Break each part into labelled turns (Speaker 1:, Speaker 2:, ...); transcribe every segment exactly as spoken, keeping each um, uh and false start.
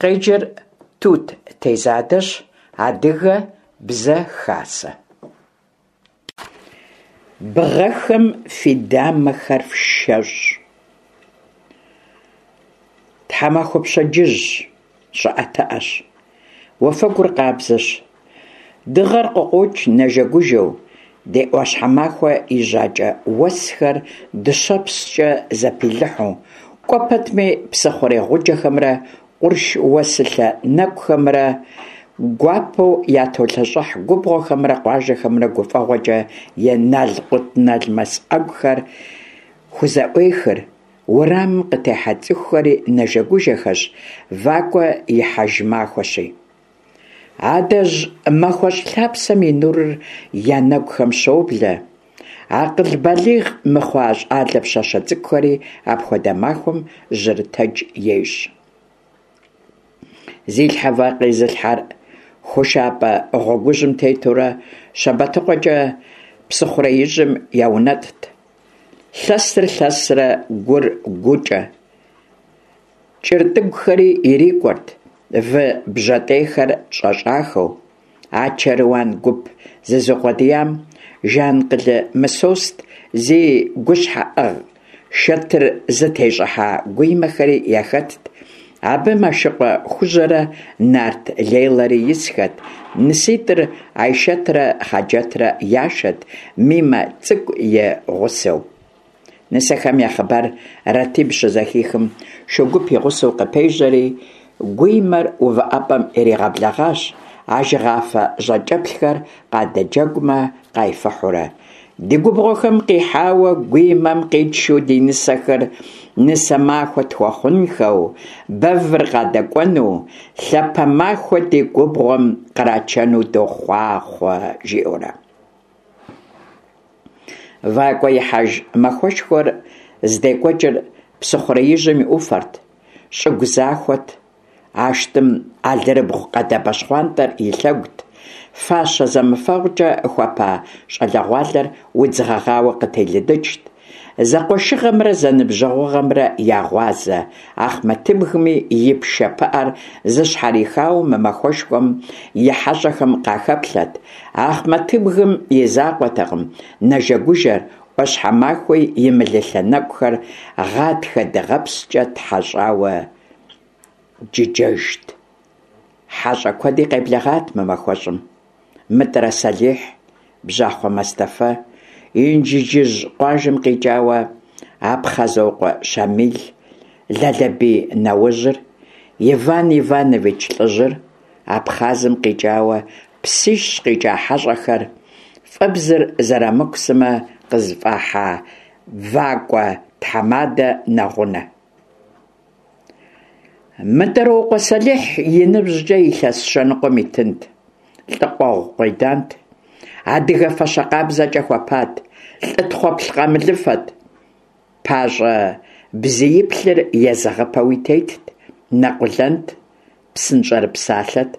Speaker 1: Къеджэр Тут Тезадэщ. Адыгэ Бзэ Хасэ. Бгъэхэм фи дамэхэр фшэщӏ. Тхьэмахуэ пщэдджыжьщ, щӏыӏэтыӏэщ, уафэгур къабзэщ. Дыгъэр къыкъуокӏ нэжэгужэу, ди ӏуащхьэмахуэ и жьакӏэ уэсхэр дыщэпскӏэ зэпилыхьу, кӏуэ пэтми псыхъурей гъуджэхэмрэ къурш уэсылъэ нэкӏухэмрэ гуапэу ятолъэщӏыхь, губгъуэхэмрэ къуажэхэмрэ гуфӏэгъуэкӏэ и налкъутналмэс ӏэгухэр хузэӏуехыр, уэрамым къытехьэ цӏыхухэри нэжэгужэхэщ, вакӏуэ ихьэж махуэщи. Адэжь махуэщӏ лъапсэм и нурыр я нэгухэм щоблэ, акъыл балигъ мыхъуа щӏалэ пщащэ цӏыкӏухэри апхуэдэ махуэм жьырытэдж ещӏ. Зи лъхьэ вакъэ изылъхьэр хушапӏэ гъуэгужьым тетурэ Щэбэтыкъуэкӏэ псыхъуреижьым яунэтӏт. Лъэсыр лъэсрэ гур гукӏэ. Кӏыртӏыгухэри ирикӏуэрт, вы бжьэтӏейхэр щӏэщӏахэу. А чэруан гуп зызукъуэдиям Жанкъылы Мысост зи гущхьэӏыгъ шэтыр зытещӏыхьа гуимэхэри яхэтт. Абы Мэшыкъуэ Хужьэрэ Нарт Лейлэрэ исхэт, ныситӏыр Айшэтрэ Хъаджэтрэ яшэт, Мимэ цӏыкӏу и гъусэу. Нысэхэм я хъыбар Ратиб щызэхихым, шу гуп и гъусэу къыпежьэри, гуимэр увыӏэпӏэм иригъэблэгъащ, ажэгъафэ жьакӏэплъхэр къадэджэгумэ къайфыхьурэ. Ди губгъуэхэм къихьауэ гуимэм къитшу ди нысэхэр нысэ махуэ тхуэхъунхэу, бэвыр къадэкӏуэну, лъапэ махуэ ди губгъуэм кърачэну дохъуахъуэ, жиӏэурэ. Вакӏуэ ихьэж махуэшхуэр здекӏуэкӏыр псыхъуреижьым и ӏуфэрт, щӏыгу захуэт, Ащтым алэрыбгъу къэдабэ щхъуантӏэр и лъэгут, фащэ зэмыфэгъукӏэ хуэпа щӏалэгъуалэр удз гъэгъауэ къытелыдыкӏт. Зэкъуэшыгъэмрэ зэныбжьэгъугъэмрэ я гъуазэ Ахъмэтыбгми и пшэ пыӏэр зыщхьэрихауэ мы махуэшхуэм и хьэщӏэхэм къахэплъэт. Ахъмэтыбгым и закъуэтэкъым нэжэгужэр, ӏуащхьэмахуи и мылылъэ нэкӏухэр гъатхэ дыгъэпскӏэ тхьэщӏауэ джыджэжт. Хьэщӏэ куэди къеблэгъат мы махуэщӏым. Мытӏырэ Сэлихь, Бжьахъуэ Мэстэфэ, Инжыджыжь къуажэм къикӏауэ Апхъазокъуэ Щамил, Лалэбий Наужьыр, Иван Иванович лӏыжьыр, Абхъазым къикӏауэ Псищ къикӏа хьэщӏэхэр, Фӏэбзыр Зэрамыку сымэ къызыфӏахьа вакӏуэ тхьэмадэ нэгъунэ. Мытӏырокъуэ Сэлихь и ныбжькӏэ илъэс щэныкъуэм итынт, лӏы къуэгъу къуедант, адыгэ фащэ къабзэкӏэ хуэпат, лӏы тхъуэплъ къамылыфэт, пащӏэ бзииплъыр езэгъыпэуи тетт, нэкъулэнт, псынщӏэрыпсалъэт,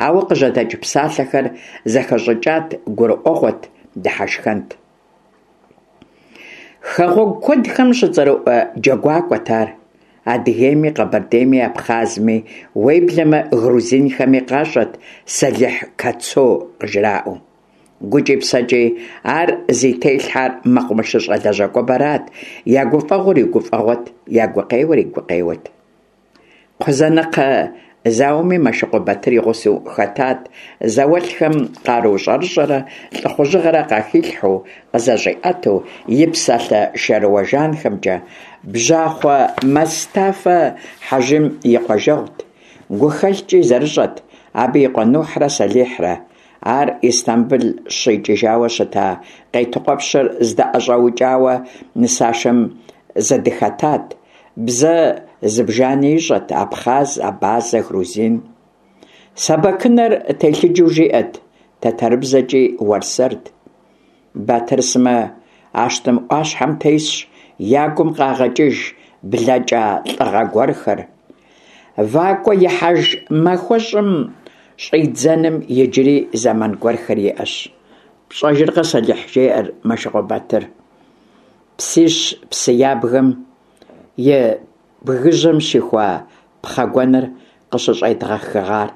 Speaker 1: ауэ къыжьэдэкӏ псалъэхэр зэхэщӏыкӏат, гурыӏуэгъуэт, дыхьэшхэнт. Хэгъуэгу куэдхэм щыцӏэрыӏуэ джэгуакӏуэт ар. Адыгейми, Къэбэрдейми, Абхъазми, уеблэмэ грузинхэми къащӏэт Сэлихь Кацо къыжраӏэу. Гукӏи псэкӏи ар зи телъхьэр мэкъумэшыщӏэ лэжьакӏуэбэрат, я гуфӏэгъуэр и гуфӏэгъуэт, я гукъеуэр и гукъеуэт. Кхъузанэкхъэ зауэми Мэшыкъуэ Батыр и гъусэу хэтат, зауэлӏхэм къару щӏэрыщӏэрэ лӏыхъужьыгъэрэ къахилъхьэу, къызэщӏиӏэтэу и псалъэ шэрыуэ жанхэмкӏэ. Бжьахъуэ Мэстафэ Хьэжым и къуажэгъут, гухэлъкӏи зэрыщӏэт абы и къуэ Нухьрэ Сэлихьрэ. Ар Истамбыл щикӏыжауэ щыта Къейтыкъуэпщыр зыдыӏэщӏэукӏауэ нысашэм зэдыхэтат. Бзэ зыбжани ищӏэт: абхъаз, абазэ, грузин. Сэбэкынэр телъыджэу жиӏэт, тэтэрыбзэкӏи уэрсэрт. Батыр сымэ Ащтым ӏуащхьэм тесщ, я гум къагъэкӏыж блэкӏа лӏыгъэ гуэрхэр. Вакӏуэ ихьэж махуэщӏым щӏидзэным иджыри зэман гуэрхэр иӏэщ. Пщӏэжыркъэ, Сэлихь, жеӏэр Мэшыкъуэ Батыр. Псищ псы ябгэм и бгыжьэм щихуа пхъэ гуэныр къыщыщӏедгъэхыгъар?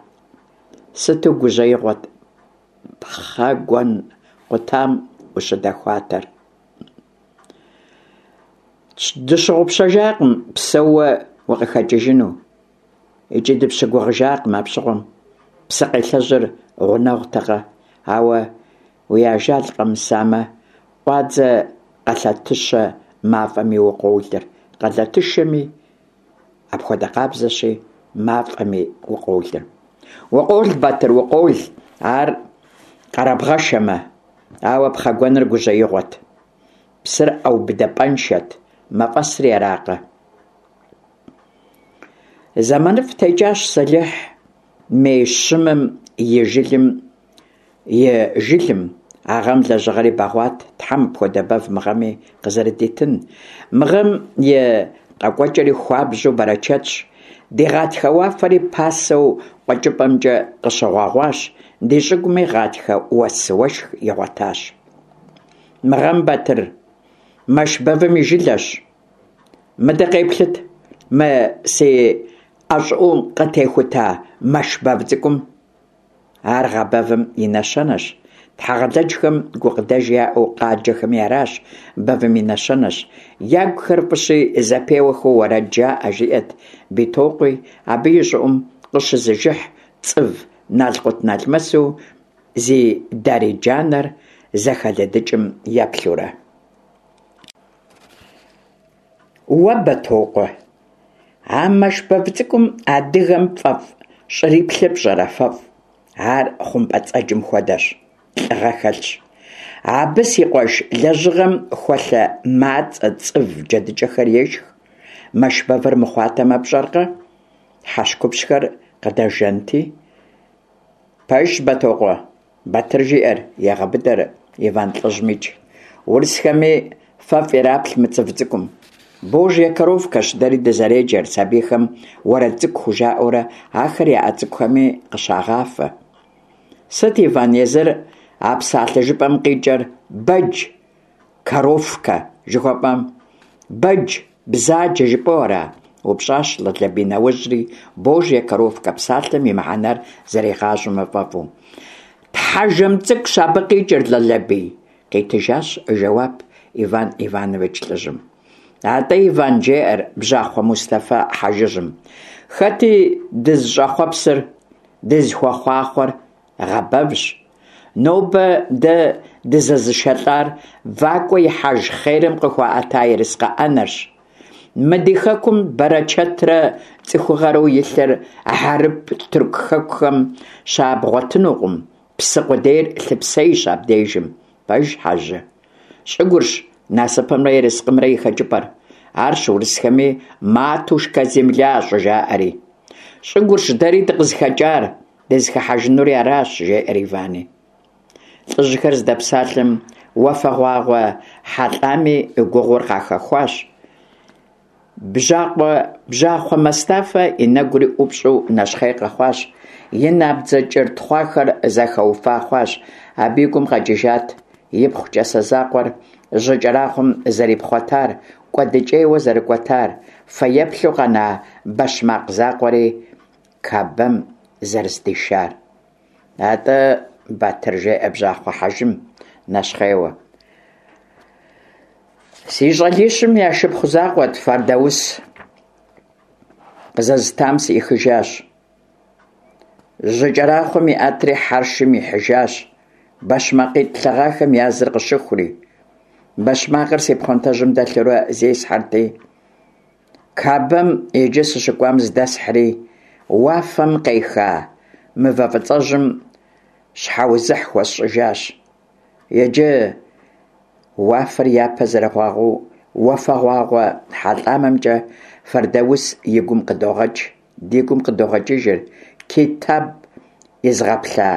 Speaker 1: Сыту гужьеигъуэт пхъэ гуэн къутам ущыдэхуатэр. Дыщыгъупщэжакъым псэууэ укъыхэкӏыжыну. Икӏи дыпщыгугъыжакъым апщыгъуэм, псыкъелъэжьыр гъунэгъутэкъэ, ауэ уи ажал къэмысамэ, къуадзэ къэлъэтыщэ мафӏэми укъолыр, къэлъэтышэми, апхуэдэ къабзэщи, мафӏэми укъолыр. Укъол, Батыр, укъол, ар къэрабгъэшэмэ. Ауэ пхъэгуэныр гужьеигъуэт. Псыр ӏэубыдыпӏэншэт, мафӏэсри аракъэ. Зэманыфӏ текӏащ, Сэлихь, мей щымым и жылым и жылым. А гъэм лэжьыгъэри бэгъуат, Тхьэм апхуэдэ бэв мы гъэми къызэрыдитын. Мы гъэм и къэкӏуэкӏэри хуабжьу бэрэчэтщ. Ди гъатхэ уафэри пасэу къуэкӏыпӏэмкӏэ къыщыгъуэгъуащ, ди щӏыгуми гъатхэ уэс уэшх игъуэтащ. Мы гъэм, Батыр, мэш бэвым и жылэщ. Мыдэ къеплъыт мы си ӏэ щӏыӏум къытехута мэш бэв цӏыкӏум. Ар гъэ бэвым и нэщэнэщ. Тхьэгъэлэджхэм гукъыдэж яӏэу къаджэхэми аращ, бэвым и нэщэнэщ. Ягухэр фӏыщи, зэпеуэхэу уэрэд жаӏэ, жиӏэрт Битокъуи, абы и щӏыӏум къыщызыжыхь цӏыв налкъутналмэсу зи дарий джанэр зэхэлыдыкӏым еплъурэ. Уэ, Бэтокъуэ, а мэш бэв цӏыкӏум адыгэм фӏэфӏ щӏриплъыр пщӏэрэ, фэфӏ? Ар хъумпӏэцӏэджым хуэдэщ, лӏыгъэ хэлъщ. Абы, си къуэш, лэжьыгъэм хуэлъэ мацӏэ, цӏыв, джэдыкӏэхэр ешх. Мэш бэвыр мыхъуатэмэ, пщӏэркъэ, хьэщкъупщхэр къыдэжэнти. Пэжщ, Бэтокъуэ, Батыр жиӏэр, егъэбыдэр Иван лӏыжьмикӏ. Урысхэми фэфӏ ираплъ мы цӏыв цӏыкӏум. Божья коровкэщ дэри дызэреджэр, сабийхэм уэрэд цӏыкӏу хужаӏэурэ ахэр я ӏэ цӏыкӏухэми къыщагъафэ. Сыт, Иван, езыр а псалъэ жыпӏэм къикӏыр, бэдж, коровкэ жыхуэпӏэм? Бэдж, бзаджэ жыпӏэу ара? Упщӏащ Лалэбий нэужьри, божья коровкэ псалъэм и мыхьэнэр зэригъащӏэмэ фӏэфӏу. Тхьэжэм цӏыкӏущ абы къикӏыр, Лалэбий, къитыжащ жэуап Иван Иванович лӏыжьым. Атӏэ, Иван, жеӏэр бжьахъуэ Мустэфа хьэжыжьым, хэти дызыщӏэхъуэпсыр, дызыхуэхъуахъуэр гъэ бэвщ. Нобэ дэ дызэзышэлӏар вакӏуэ ихьэж хъерым къыхуаӏэта ерыскъы ӏэнэрщ. Мы ди хэкум бэрэчэтрэ цӏыхугъэрэу илъыр хьэрып, тырку хэкухэм щабгъуэтынукъым, псы къудейр лъыпсейщ абдежым. Пэж, хьэжы? Щӏыгурщ насыпымрэ ерыскъымрэ и хэкӏыпӏэр. Арщ урысхэми матушка земля щӏыжаӏэри. Щӏыгурщ дэри дыкъызыхэкӏар, дызыхыхьэжынури аращ, жеӏэр Ивани. Лӏыжьхэр здэпсалъэм уафэгъуагъуэ хьэлӏами гугъур къахэхуащ. Бжьакъуэ бжьахъуэ Мэстафэ и нэгури ӏупщӏу нэщхъей къэхъуащ, и набдзэ кӏыр тхъуахэр зэхэуфа хъуащ. Абы и гум къэкӏыжат ипхъу кӏасэ закъуэр жьыкӏэрахъуэм зэрипхъуэтар, кӏуэдыкӏейуэ зэрыкӏуэтар, фэеплъу къэна бэщмакъ закъуэри Кабэм зэрыздишар. Атӏэ, Батыр, жеӏэ бжьахъуэ хьэжым нэщхъейуэ. Си щӏалищым я шыпхъу закъуэт Фэрдаус, къызэзытам сыӏихыжащ. Жьыкӏэрахъуэм иӏэтри хьэршым ихьыжащ, бэщмакъитӏ лъэгъахэм я зыр къыщыхури. Бэщмакъыр си пхъуантэжьым дэлъурэ зесхьэрти, Кабэм иджы сыщыкӏуам здэсхьри, уафэм къеха мывэ фӏыцӏэжьым щхьэузыхь хуэсщӏыжащ. Иджы уафэр япэ зэрыгъуагъуэу уафэгъуагъуэ хьэлӏамэмкӏэ Фэрдаус и гум къыдогъэкӏ, ди гум къыдогъэкӏыжыр Китаб изгъэплъа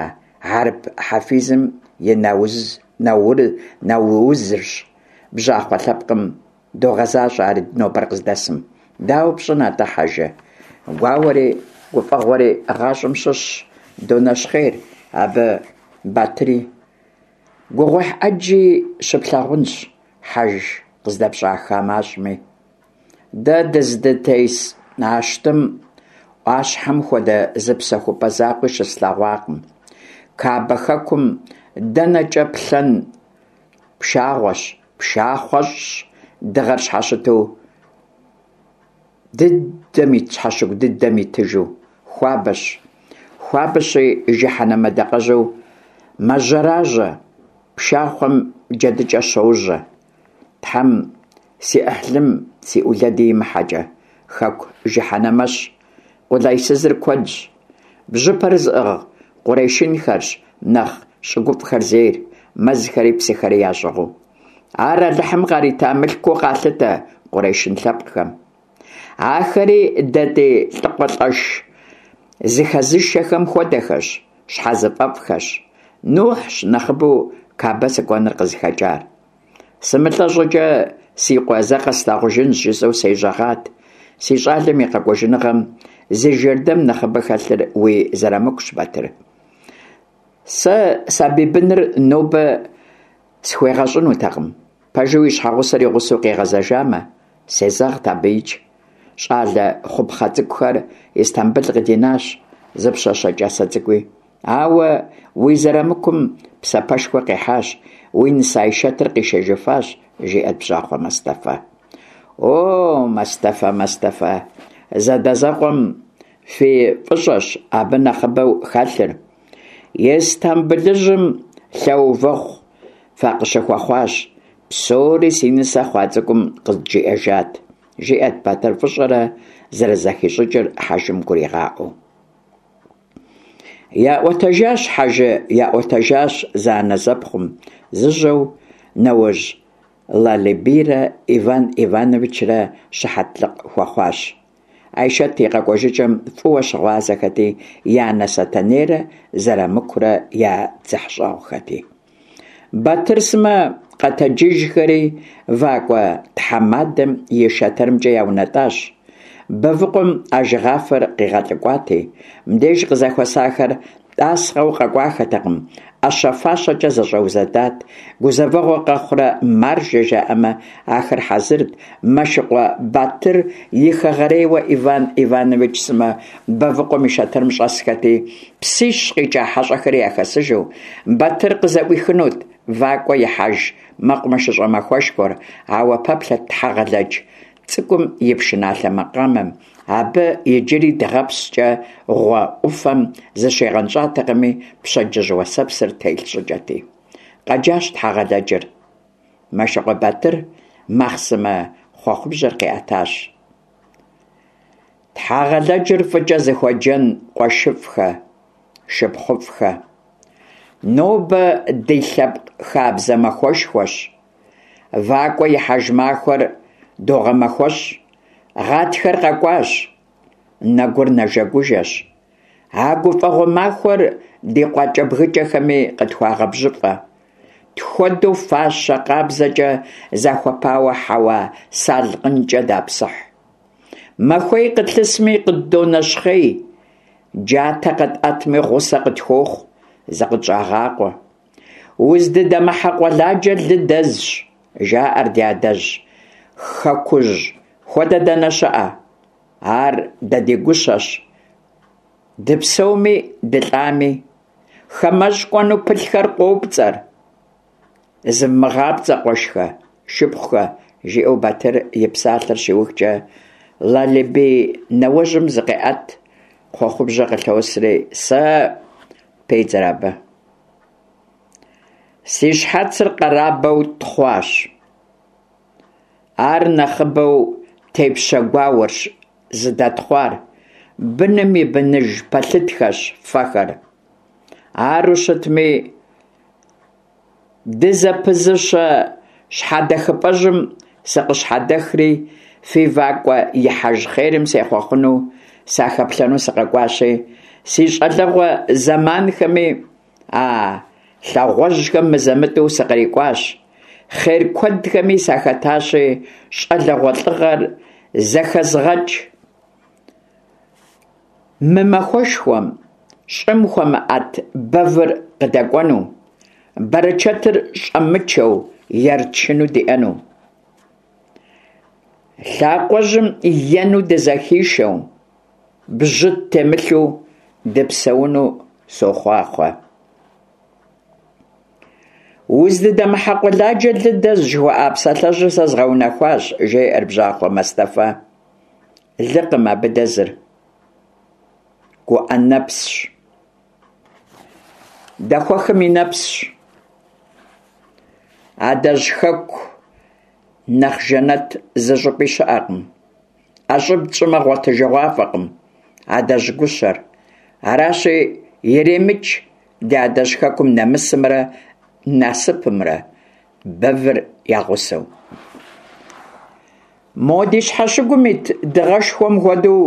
Speaker 1: хьэрып хьэфизым и нэузырщ, бжьахъуэ лъэпкъым догъэзащӏэ ар нобэр къыздэсым. Дауэ пщӏын атӏэ, хьэжы? Гуауэри гуфӏэгъуэри гъащӏэм щыщщ, донэщхъейр абы Батыри. Гугъуехь ӏэджи щыплъагъунщ хьэж къыздэпщӏа хамэщӏми. Дэ дыздытес ащтым Ӏуащхьэм хуэдэ зы псэхупӀэ закъуи щыслъэгъуакъым. Кабэ хэкум дэнэкӀэ плъэн пшагъуэщ, пшахъуэщӀщ, дыгъэр щхьэщыту дыдэм щхьэщыгу дыдэм итыжу. Хуабэщ, хуабэщи, жыхьэнмэ дакъэжьу мэжьэражьэ, пшахъуэм джэдыкӀэ щожьэ. Тхьэм си Ӏыхьлым, си Ӏулэди имыхьэкӀэ, хэку жыхьэнмэщ, къулейсызыр куэдщ. Бжьыпэр зыӀыгъ къурэшынхэрщ нэхъ щӀыгуфӀхэр зейр, мэзхэри псыхэри ящӀыгъуу. Ар Алыхьым къарита мылъкуу къалъытэ къурэшын лъэпкъхэм. Ахэри дэ ди лӀакъуэлӀэш зыхэзышэхэм хуэдэхэщ, щхьэзыфӀэфӀхэщ. Нухьщ нэхъыбэу Кабэ сыкӀуэныр къызыхэкӀар. СымылӀэ щӀыкӀэ си къуэ зэ къэслъагъужынщ, жысӀэу сежьэгъат. Си щӀалэм и къэкӀуэжыныгъэм зи жэрдэм нэхъыбэ хэлъыр уи Зэрамыкущ, Батыр. Сэ сабий быныр нобэ схуегъэщӀынутэкъым. Пэжу и щхьэгъусэр и гъусэу къигъэзэжамэ, сезэгът абыикӀ. ЩӀалэ хъупхъэ цӀыкӀухэр Истамбыл къыдинащ, зы пщащэ кӀасэ цӀыкӀуи. Ауэ уи Зэрамыкум псапэшхуэ къихьащ, уи нысэ Айшэтыр къишэжыфащ, жиӀэрт бжьахъуэ Мэстэфэ. О, Мэстэфэ, Мэстэфэ, зэдэзэкъуэм фи фӀыщӀэщ абы нэхъыбэу хэлъыр. Истамбылыжьым лъэувэгъу факъыщыхуэхъуащ. Псори си нысэ хъуа цӀыкӀум къызджиӀэжат, жиӀэрт Батыр фӀыщӀэрэ зэрызэхищӀыкӀыр хьэжым гуригъаӀуэу. ЯӀуэтэжащ, хьэжы, яӀуэтэжащ зэанэзэпхъум, зыжьэу нэужь Лалибийрэ Иван Ивановичрэ щыхьэтлыкъ хуэхъуащ. Айшэт и къэкӀуэжыкӀэм фӀыуэ щыгъуазэхэти, и анэ Сэтэнейрэ Зэрамыкурэ я дзыхьщӀэгъухэти. Батыр сымэ къэтэджыжхэри вакӀуэ тхьэмадэм и шэтырымкӀэ яунэтӀащ. Бэвыкъуэм ажыгъафэр къигъэлӀыкӀуати, мыбдеж къызэхуэсахэр тӀасхъэу къэкӀуахэтэкъым, Ӏэщэ-фащэкӀэ зэщӀэузэдат, гузэвэгъуэ къэхъурэ маржэ жаӀэмэ, ахэр хьэзырт. Мэшыкъуэ Батыр и хэгъэрейуэ Иван Иванович сымэ Бэвыкъуэм и шэтырым щӀэсхэти, псищ къикӀа хьэщӀэхэри яхэсыжу, Батыр къызэӀуихынут вакӀуэ ихьэж мэкъумэшыщӀэ махуэшхуэр, ауэ пэплъэрт Тхьэгъэлэдж цӀыкӀум и пшыналъэ макъамэм, абы иджыри дыгъэпскӀэ гъуэ Ӏуфэм зыщигъэнщӀатэкъыми, пщэдджыжь уэсэпсыр телъ щӀыкӀэти. Къэджащ Тхьэгъэлэджыр. Мэшыкъуэ Батыр махъсымэ хъуэхъубжьэр къиӀэтащ. Тхьэгъэлэджыр фӀыкӀэ зыхуэджэн къуэшыфӀхэ, шыпхъуфӀхэ! Нобэ ди лъэпкъ хабзэ махуэшхуэщ. ВакӀуэ ихьэж махуэр догъэмэхуэщӀ. Гъатхэр къэкӀуащ, нэгур нэжэгужэщ. А гуфӀэгъуэ махуэр ди къуакӀэбгыкӀэхэми къытхуагъэбжьыфӀэ. Тхуэдэу фащэ къабзэкӀэ захуэпауэ хьэуа салъкъынкӀэ дапсыхь. Махуей къытлъысми къыддонэщхъей, джатэ къэтӀэтми гъусэ къытхуохъу, зыкъытщӀагъакъуэ. Уздыдэмыхьэ къуэладжэ лы дэзщ, жаӀэр ди адэжь хэкужь хуэдэ дэнэ щыӀэ? Ар дэ ди гущэщ, дыпсэуми дылӀами. ХамэщӀ кӀуэну пылъхэр къопцӀэр. ЗывмыгъапцӀэ, къуэшхэ, шыпхъухэ, жиӀэу Батыр и псалъэр щиухкӀэ, Лалибий нэуэжьым зыкъеӀэт, хъуэхъубжьэ къылъосри, сэ педзэр абы. Си щхьэцыр къэрабэу тхъуащ. Ар нэхъыбэу тепщэ гуауэрщ зыдэтхъуар. Быным и быныж пэлъытхэщ фэхэр. Ару щытми, дызэпызыщэ щхьэдэхыпӀэжьым сыкъыщхьэдэхри, фи вакӀуэ ихьэж хъерым сехъуэхъуну, сахэплъэну сыкъэкӀуащи, си щӀалэгъуэ зэманхэми а лъагъуэжьхэм мызэ-мытӀэу сыкърикӀуащ. Хъер куэдхэми сахэтащи, щӀалэгъуэ лӀыгъэр зэхэзгъэкӀ. Мы махуэшхуэм щӀым хуэмыӀэт бэвыр къыдэкӀуэну, бэрычэтыр щӀэмычэу ерчыну диӀэну. Лъакъуэжьым ену дызэхишэу, Бжьы ттемылъу дыпсэуну сохъуахъуэ! Уздыдэмыхьэ къуэладжэ лы дэзщ, жыхуаӏа псалъэжьыр сэ згъэунэхуащ, – жеӀэр бжьахъуэ Мэстэфэ. Лыкъым абы дэзыр, гуӀэ нэпсщ. Дэхуэхым и нэпсщ. Адэжь хэку нэхъ жэнэт зыщӀыпӀи щыӀэкъым. ӀэщӀыб тщӀымэ, гъуэтыжыгъуафӀэкъым адэжь гущэр. Аращи, иремыкӀ ди адэжь хэкум нэмысымрэ насыпымрэ, бэвыр я гъусэу. Мо ди щхьэщыгум ит дыгъэшхуэм хуэдэу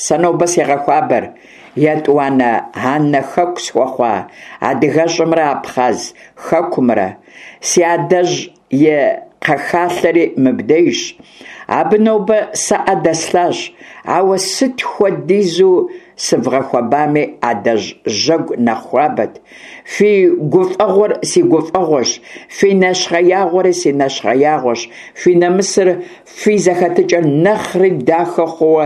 Speaker 1: сэ нобэ сегъэхуабэр етӀуанэ анэ хэку схуэхъуа адыгэщӀымрэ Абхъаз хэкумрэ. Си адэжь и кхъэхалъэри мыбдежщ. Абы нобэ сэ Ӏэ дэслъащ, ауэ сыт хуэдизу сывгъэхуэбами, адэжь жьэгу нэхъ хуабэт. Фи гуфӀэгъуэр си гуфӀэгъуэщ, фи нэщхъеягъуэри си нэщхъеягъуэщ, фи нэмысыр, фи зэхэтыкӀэр нэхъри дахэ хъууэ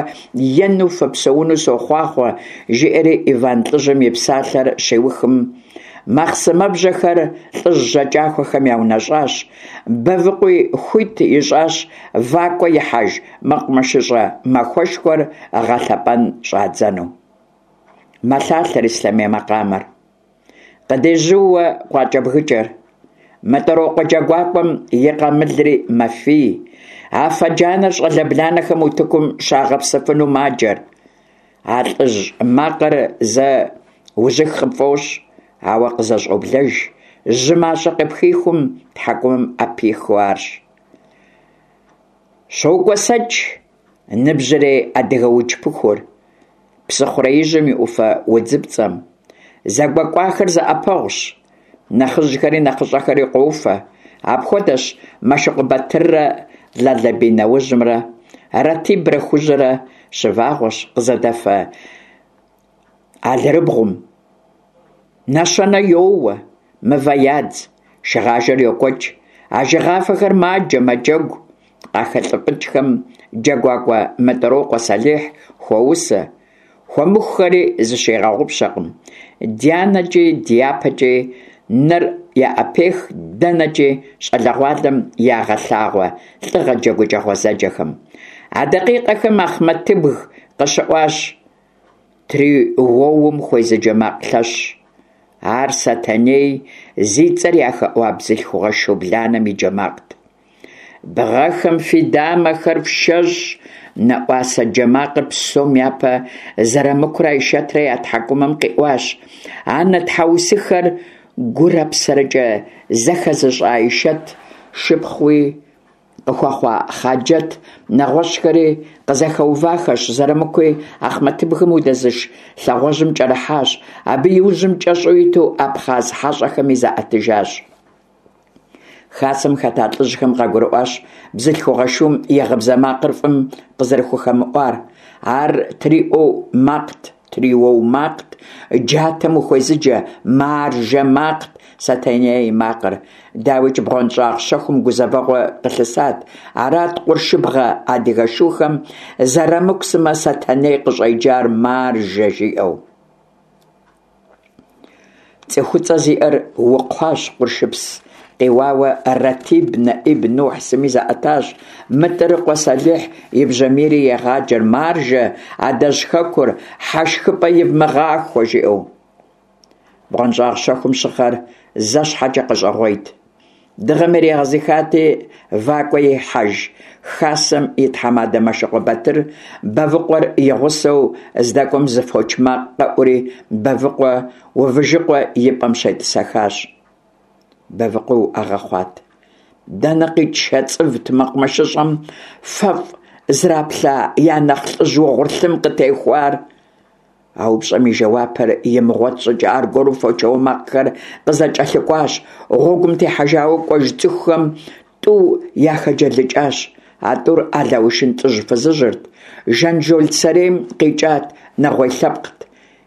Speaker 1: ену фыпсэуну сохъуахъуэ, жиӀэри Иван лӀыжьым и псалъэр щиухым, махъсымэбжьэхэр лӀыжь жьакӀэхухэм яунэщӀащ, Бэвыкъуи хуит ищӀащ вакӀуэ ихьэж мэкъумэшыщӀэ махуэшхуэр гъэлъэпӀэн щӀадзэну. Мэлъалъэр ислъэмей макъамэр. Къыдежьууэ къуакӀэбгыкӀэр. МытӀырокъуэ джэгуакӀуэм и къамылри мэфий. Афэ джанэр щӀалэ бланэхэм утыкум щагъэпсыфыну маджэр. А лӀыжь макъыр зэ ужьых къыпфӀощӀ, ауэ къызэщӀоблэж, жьы мащӀэ къыпхихум тхьэкӀумэм Ӏэпихыу арщ. ЩокӀуэсэкӀ ныбжьэрей адыгэ удж пыхур псыхъуреижьым и Ӏуфэ удзыпцӀэм. ЗэгуэкӀуахэр зэӀэпэгъущ, нэхъыжьхэри нэхъыщӀэхэри къофэ. Апхуэдэщ Мэшыкъуэ Батыррэ Лалэбий нэужьымрэ, Ратибрэ Хужьрэ щывагъуэщ къызэдэфэ алэрыбгъум. Нэщэнэ йоуэ, мывэ ядз, шыгъажэр йокӀуэкӀ, ажэгъафэхэр маджэ, мэджэгу. КъахэлӀыфӀыкӀхэм джэгуакӀуэ МытӀырокъуэ Сэлихь хуоусэ, хуэмыхухэри зыщигъэгъупщэкъым. ДянэкӀи дяпэкӀи нэр яӀэпех дэнэкӀи щӀалэгъуалэм ягъэлъагъуэ лӀыгъэ джэгукӀэ гъуэзэджэхэм. А дакъикъэхэм Ахъмэтыбг къыщыӀуащ триуэум хуезыджэ макъ лъэщ. Ар Сэтэней зи цӀэр яхэӀуа бзылъхугъэ шу бланэм и джэ макът. Бгъэхэм фи дамэхэр фшэщӀ! НэӀуасэ джэ макъыр псом япэ Зэрамыкурэ Айшэтрэ я тхьэкӀумэм къиӀуащ. Анэ тхьэусыхэр гурэ псэрэкӀэ зэхэзыщӀа Айшэт, шыпхъууи къыхуэхъуа Хъаджэт, нэгъуэщӀхэри къызэхэувахэщ. Зэрамыкуи Ахъмэтыбгым удэзыш лъагъуэжьым кӀэрыхьащ. Абы и ужьым кӀэщӀу иту абхъаз хьэщӀэхэми заӀэтыжащ. Хасэм хэта лӀыжьхэм къагурыӀуащ бзылъхугъэ шум и гъыбзэ макъыр фӀым къызэрыхухэмыӀуар. Ар триӀуэу макът, триуэу макът, джатэм ухуезыджэ маржэ макът Сэтэней и макъыр. ДауикӀ, бгъуэнщӀагъ щэхум гузэвэгъуэ къылъысат. Арат къуршыбгъэ адыгэ шухэм Зэрамыку сымэ Сэтэней къыщӀеджар «маржэ» жиӀэу. ЦӀыхуцӀэ зиӀэр укхъуащ къуршыпс къиуауэ Ратиб, НэӀиб, Нухь сыми заӀэтащ. МытӀырыкъуэ Сэлихь и бжьамийри егъаджэр: «Маржэ, адэжь хэкур хьэшхыпӀэ ивмыгъахуэ!» жиӀэу. БгъуэнщӀагъ щэхум щыхъэр зэ щхьэкӀэ къэщӀэгъуейт. Дыгъэм иригъэзыхати, вакӀуэ ихьэж хасэм и тхьэмадэ Мэшыкъуэ Батыр Бэвыкъуэр и гъусэу здэкӀуэм зы фоч макъ къэӀури, Бэвыкъуэ Увыжыкъуэ и пӀэм щетӀысэхащ. Бэвыкъуи уӀэгъэ хъуат. Дэнэ къикӀ шэ цӀывт мэкъумэшыщӀэм фэфӀ зраплъа я нэхъ лӀыжь угъурлым къытехуар? А упщӀэм и жэуапыр имыгъуэт щӀыкӀэ аргуэру фочауэ макъхэр къызэкӀэлъыкӀуащ. Гъуэгум техьэжауэ кӀуэж цӀыхухэм тӀу яхэджэлыкӀащ. А тӀур Алаушын лӀыжь-фызыжьырт. Жанжол сэрейм къикӀат, нэгъуей лъэпкът.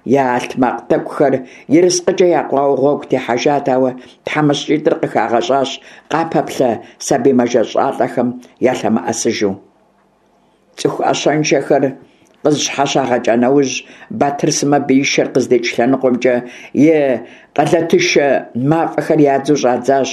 Speaker 1: Я алътмакъ тӀэкӀухэр ерыскъыкӀэ якъуауэ гъуэгу техьэжат, ауэ тхьэмыщкӀитӀыр къыхагъэщӀащ къапэплъэ сабий мэжэщӀалӀэхэм ялъэмыӀэсыжу. ЦӀыху Ӏэщэншэхэр къызыщхьэщагъэкӀа нэужь, Батыр сымэ биишэр къыздикӀ лъэныкъуэмкӀэ и къалэтышэ мафӀэхэр ядзу щӀадзащ.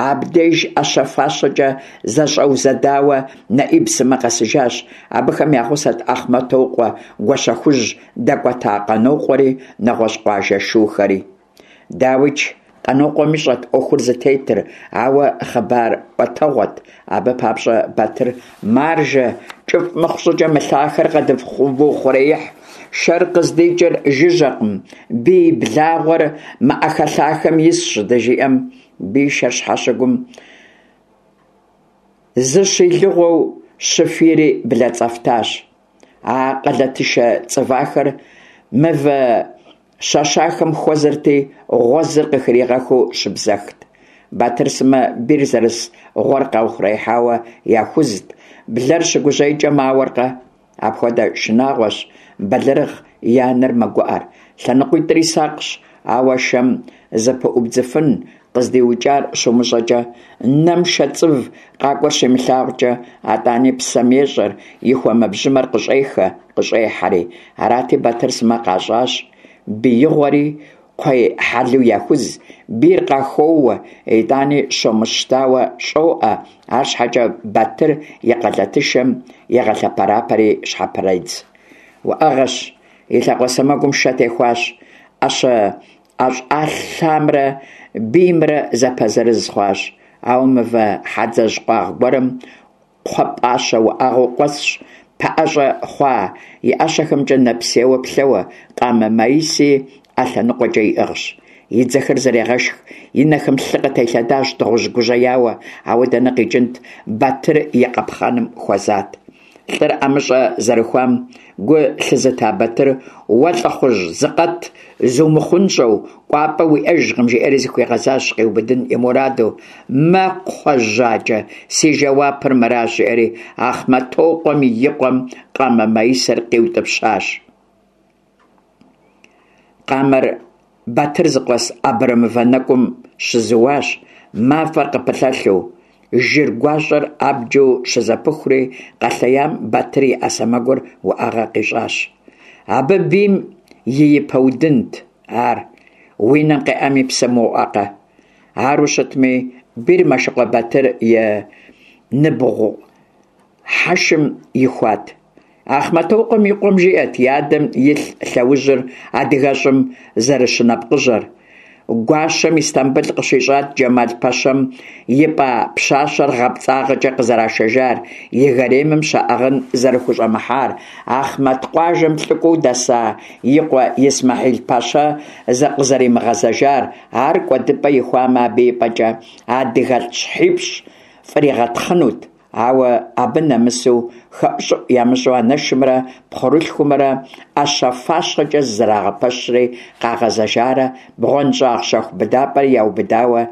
Speaker 1: Абдеж Ӏэщэ-фащэкӀэ зэщӀэузэдауэ НэӀиб сымэ къэсыжащ. Абыхэм я гъусэт Ахъмэтокъуэ Гуащэхужь дэкӀуэта Къанокъуэри, нэгъуэщӀ къуажэ шухэри. ДауикӀ, Къанокъуэм ищӀэрт Ӏуэхур зытетыр, ауэ хъыбар Ӏуэтэгъуэт. Абы папщӀэ Батыр «Маржэ, кӀыфӀ мыхъу щӀыкӀэ мы лъахэр къэдывухъуреихь, шэр къыздикӀыр жыжьэкъым, бий благъуэр мы Ӏэхэлъахэм исщ», щыжиӀэм, биишэр щхьэщыгум зыщилыгъуэу щыфийри блэцӀэфтащ. А къалэтышэ цӀывахэр мывэ щэщахэм хуэзэрти, гъуэзыр къыхригъэхыу щыбзэхт. Батыр сымэ бийр зэрыс гъуэр къаухъуреихьауэ яхузт, блэр щыгужьейкӀэ мауэркъэ? Апхуэдэ шынагъуэщ, бэлэрыгъ и анэр мэгуӀэр. ЛъэныкъуитӀри сакъщ, ауэ шэм зыпыӀубдзыфын къыздиукӀар щумыщӀэкӀэ, нэм шэ цӀыв къакӀуэр щимылъагъукӀэ, атӀани псэм ещӀэр, и хуэмэбжьымэр къыщӀехэ, къыщӀехьэри. Арати, Батыр сымэ къащӀащ биигъуэри, кхъуей хьэлу яхуз, бийр къахоуэ, итӀани щомыщтауэ щӀоӀэ, арщхьэкӀэ Батыр и къалэтышэм егъэлъэпэрапэри щхьэпредз. УӀэгъэщ, и лъакъуэ сэмэгум шэ техуащ, Ӏэщэ ӀэщӀэлъамрэ биймрэ зэпэзырыз хъуащ. Ауэ мывэ хьэдзэжь къуагъ гуэрым кхъуэпӀащэ уӏэгъэу къуэсщ, пэӀэщӀэ хъуа и ӀэщэхэмкӀэ нэпсейуэ плъэуэ, къамэ маиси Ӏэ лъэныкъуэкӀэ иӀыгъщ. И дзэхэр зэрегъэшх, и нэхэм лъы къытелъэдащ, дыгъужь гужьеяуэ, ауэ дэнэ къикӀынт, Батыр и къапхъэным хуэзат. ЛӀыр ӀэмыщӀэ зэрыхуам гу лъызыта Батыр «Уэ лӀыхъужь, зыкъэт, зумыхъунщӀэу, кӀуапӀэ уиӀэжкъым», жиӀэри зыхуигъэзащ, къиубыдын и мураду. «Мэ, кхъуэ жьакӀэ, си жэуапыр мыращ», жиӀэри Ахъмэтокъуэм и къуэм къамэ маисэр къиутӀыпщащ. Къамэр Батыр зыкъуэс абрэмывэ нэкӀум щызууащ, мафӀэр къыпылъэлъу, жыр гуащӀэр абджу щызэпыхури, къэлъеям Батыр и Ӏэ сэмэгур уӀэгъэ къищӀащ. Абы бийм и япэ удынт ар, уи нэм къеӀэм и псэм уоӀэкъэ? Ару щытми, бийр Мэшыкъуэ Батыр и ныбгъухьэшым ихуат. Ахъмэтокъуэм и къуэм жиӀэрт и адэм илъ лъэужьыр адыгэщӀым зэрыщынэпкъыжьэр. Гуащэм Истамбыл къыщищӀат Джэмал-пэщэм ипӀа пщащэр гъэпцӀагъэкӀэ къызэрашэжар, и гаремым щаӀыгъын зэрыхущӀэмыхьар, Ахъмэт къуажэм лӀыкӀуэу дэса и къуэ Исмэхьил-пэщэ къызэримыгъэзэжар, ар кӀуэдыпӀэ ихуамэ, абы и пӀэкӀэ адыгэлӀ щхьипщӀ фӀригъэтхъынут. Ауэ абы нэмысу, хэӀущӀыӀу ямыщӀу анэшымрэ пхъурылъхумрэ Ӏэщэ-фащэкӀэ зызэрагъэпэщри къагъэзэжарэ бгъуэнщӀагъ щэху быдапӀэри яубыдауэ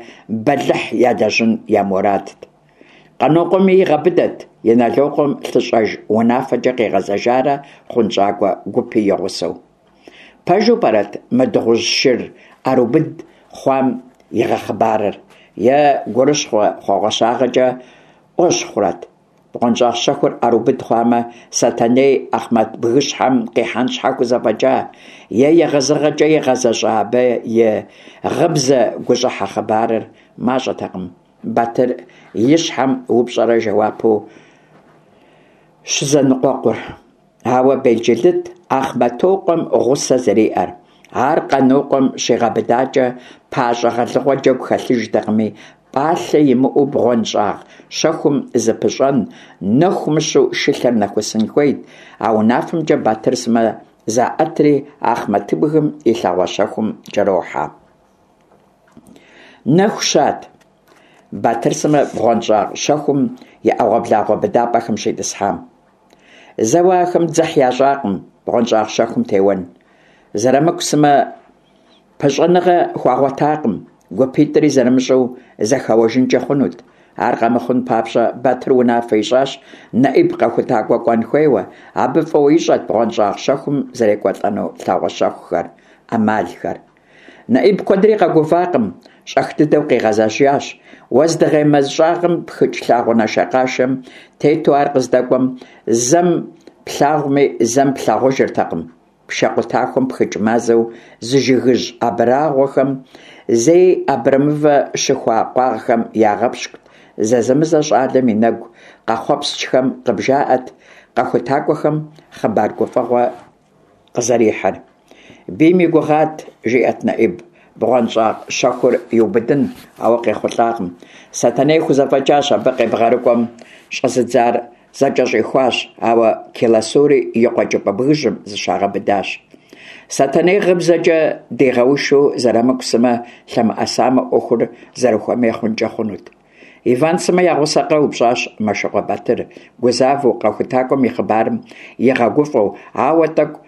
Speaker 1: бэлыхь ялэжьын я мурадт. Къанокъуэми игъэбыдэт Инэлокъуэм лъыщӀэж унафэкӀэ къигъэзэжарэ хъунщӀакӀуэ гупи и гъусэу. Пэжу пӀэрэт мы дыгъужь шыр Ӏэрыубыд хъуам игъэхъыбарыр? Е гурыщхъуэ хъуэгъуэщагъэкӀэ Ӏуэщхъурэт? БгъуэнщӀагъ щэхур Ӏэрыубыд хъуамэ, Сэтэней Ахъмэт бгыщхьэм къихьэн щхьэ хузэфӀэкӀа? Е егъэзыгъэкӀэ игъэзэщӀа абы и гъыбзэ гущӀыхьэ хъыбарыр? МащӀэтэкъым Батыр и щхьэм упщӀэрэ жэуапу щызэныкъуэкъур. Ауэ белджылыт Ахъмэтокъуэм гъусэ зэриӀэр. Ар Къанокъуэм щигъэбыдакӀэ, пащӀэ гъэлыгъуэ джэгу хэлъыжтэкъыми, пӀалъэ имыӀэу бгъуэнщӀагъ щэхум зыпыщӀэн, нэху мыщу шылъэр нэхусын хуейт. А унафэмкӀэ Батыр сымэ заӀэтри Ахъмэтыбгым и лъагъуэ щэхум кӀэрохьэ. Нэху щат Батыр сымэ бгъуэнщӀагъ щэхум и Ӏэгъуэблагъуэ быдапӀэхэм щитӀысхьам. Зэуэ ахэм дзыхь ящӀакъым бгъуэнщӀагъ щэхум теуэн. Зэрамыку сымэ пыщӀэныгъэ хуагъуэтакъым, гупитӀри зэрымыщӀэу зэхэуэжынкӀэ хъунут. Ар къэмыхъун папщӀэ Батыр унафэ ищӀащ НэӀиб къэхутакӀуэ кӀуэн хуейуэ, абы фӀыуэ ищӀэрт бгъуэнщӀагъ щэхум зэрекӀуэлӀэну лъагъуэ щэхухэр, Ӏэмалхэр. НэӀиб куэдри къэгувакъым, щӀэх дыдэу къигъэзэжащ. Уэздыгъей мэз щӀагъым пхыкӀ лъагъуэ нашэкъашэм тету ар къыздэкӀуэм, зэм Плъагъуми, зэм плъагъужыртэкъым. Пшэ къутахуэм пхыкӀ мазэу зы жыгыжь абрагъуэхэм зей абрэмывэ щыхуа къуагъхэм ягъэпщкӀут. Зэзэмызэ щӀалэм и нэгу къэхъуэпскӀхэм къыбжаӀэрт къэхутакӀуэхэм хъыбар гуфӀэгъуэ къызэрихьыр. Бийм и гугъат, жиӀэрт НэӀиб, бгъуэнщӀагъ щэхур иубыдын, ауэ къехъулӀакъым. Сэтэней хузэфӀэкӀащ, абы къебгъэрыкӀуэм щӀэзыдзар зэкӀэщӀихуащ, ауэ Келасури и къуэкӀыпӀэ бгыжьым зыщагъэбыдащ. Сэтэней гъыбзэкӀэ дигъэушу Зэрамыку сымэ лъэмыӀэсамэ, Ӏуэхур зэрыхуэмей хъункӀэ хъунут. Иван сымэ я гъусэкъэ? упщӀащ Мэшыкъуэ Батыр, гузавэу, къэхутакӀуэм и хъыбарым игъэгуфӀэу, ауэ тӀэкӀу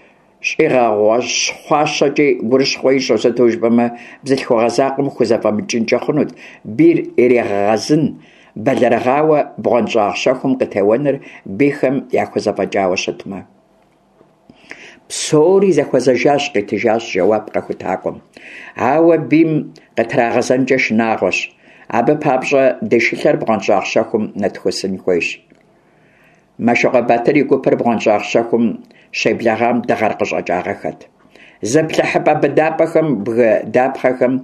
Speaker 1: щӀигъэщхъуащэкӀи гурыщхъуэ ищӀу, сыту жыпӀэмэ бзылъхугъэ закъуэм хузэфӀэмыкӀынкӀэ хъунут бийр иригъэгъэзын, бэлэрыгъауэ бгъуэнщӀагъ щэхум къытеуэныр бийхэм яхузэфӀэкӀауэ щытмэ. Псори зэхуэзэжащ, къитыжащ жэуап къэхутакӀуэм. Ауэ бийм къытрагъэзэнкӀэ шынагъуэщ. Абы папщӀэ ди шылъэр бгъуэнщӀагъ щэхум нэтхусын хуейщ. Мэшыкъуэ Батыр и гупыр бгъуэнщӀагъ щэхум щеблэгъам дыгъэр къыщӀэкӀагъэххэт. ЗыплъыхьыпӀэ быдапӀэхэм, бгы дапхъэхэм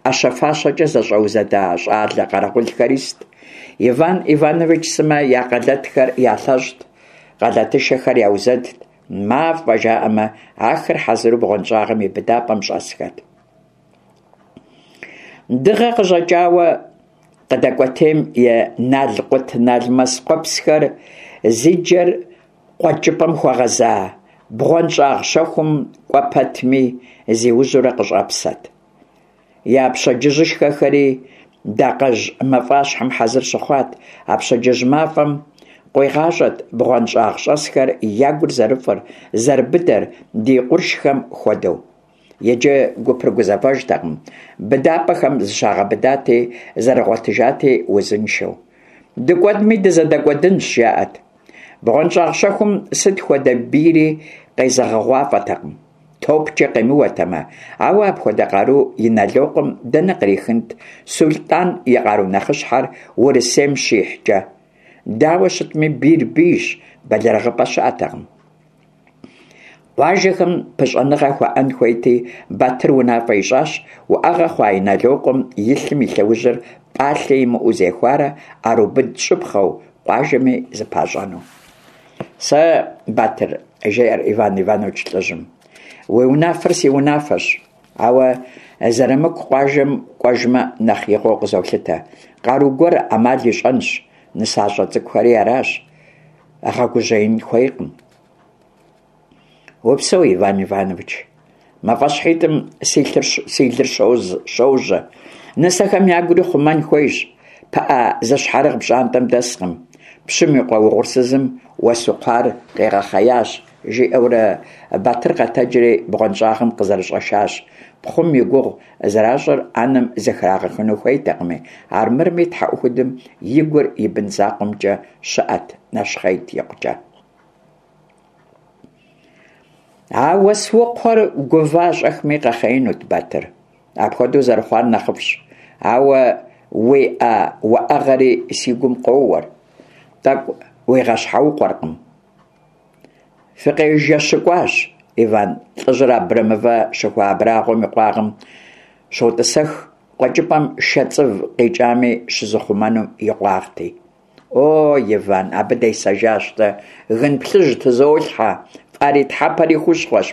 Speaker 1: Ӏэщэ-фащэкӀэ зэщӀэузэда щӀалэ къэрэгъулхэр ист. Иван Иванович сымэ я къалэтхэр ялъэщӀт, къалэтышэхэр яузэдт. МафӀэ жаӀэмэ, ахэр хьэзыру бгъуэнщӀагъым и быдапӀэм щӀэсхэт. Дыгъэ къыщӀэкӀауэ къыдэкӀуэтейм и налкъутналмэс къуэпсхэр зи джэр къуэкӀыпӀэм хуэгъэза бгъуэнщӀагъ щэхум кӀуэ пэтми зиужьурэ къыщӀэпсэрт. Я пщэдджыжьышхэхэри дакъэжь мафӀащхьэм хьэзыр щыхъуат. А пщэдджыжь мафӀэм къуигъащӀэрт бгъуэнщӀагъщӀэсхэм я гур зэрыфӀыр, зэрыбыдэр, ди къуршхэм хуэдэу. Иджы гупыр гузэвэжтэкъым, быдапӀэхэм зыщагъэбыдати, зэрыгъуэтыжати узыншэу. ДыкӀуэдми дызэдэкӀуэдынщ, жаӀэрт. БгъуэнщӀагъ щэхум сыт хуэдэ бийри къезэгъыгъуафӀэтэкъым, топкӀэ къемыуэтэмэ, ауэ апхуэдэ къару Инэлокъуэм дэнэ кърихынт, СулътӀан и къару нэхъыщхьэр Урысейм щихькӀэ? Дауэ щытми, бийр бийщ, бэлэрыгъыпӀэ щыӀэтэкъым. Къуажэхэм пыщӀэныгъэ хуаӀэн хуейти, Батыр унафэ ищӀащ уӀэгъэ хъуа Инэлокъуэм и лъым и лъэужьыр пӀалъэ имыӀэу зехуарэ Ӏэрыубыд щӀыпхъэу, къуажэми зыпащӀэну. Сэ, Батыр, жеӀэр Иван Иванович лӀыжьым, уи унафэр си унафэщ, ауэ Зэрамыку къуажэм кӀуэжмэ нэхъ игъуэу къызолъытэ. Къару гуэр Ӏэмал ищӀэнщ, нысащӀэ цӀыкӀухэри аращ, гъэгужьеин хуейкъым. Упсэу, Иван Иванович. МафӀэщхьитӀым си лыр щожьэ. Нысэхэм ягури хъумэн хуейщ. ПыӀэ зыщхьэрыгъ пщӀантӀэм дэскъым. Пщым и къуэ угъурсызым уэсукхъуэр къигъэхъеящ, жиӀэурэ Батыр къэтэджри бгъуэнщӀагъым къызэрыщӀэшащ. Пхъум и гугъу зэращӀыр анэм зэхрагъэхыну хуейтэкъыми, армырми тхьэӀухудым и гур и бын закъуэмкӀэ щыӀэт, нэщхъейт икъукӀэ. А уэсукхъуэр гува-щӀэхми къэхъеинут, Батыр. Апхуэдэу зэрыхъуар нэхъыфӀщ. Ауэ уи Ӏэ уӀэгъэри си гум къоуэр, тӀэкӀу уигъэщхьэукъуэркъым. ФыкъежэщыкӀуащ, Иван лӀыжьыр абрэмывэ щыхуа абрагъуэм и къуагъым щотӀысэх, къуэкӀыпӀэм шэ цӀыв къикӀами щызыхъумэнум и къуагъти. О, Иван, абы десэжащ дэ, гын плъыжь тызолъхьэ, фӀарий тхьэпэри хущхъуэщ.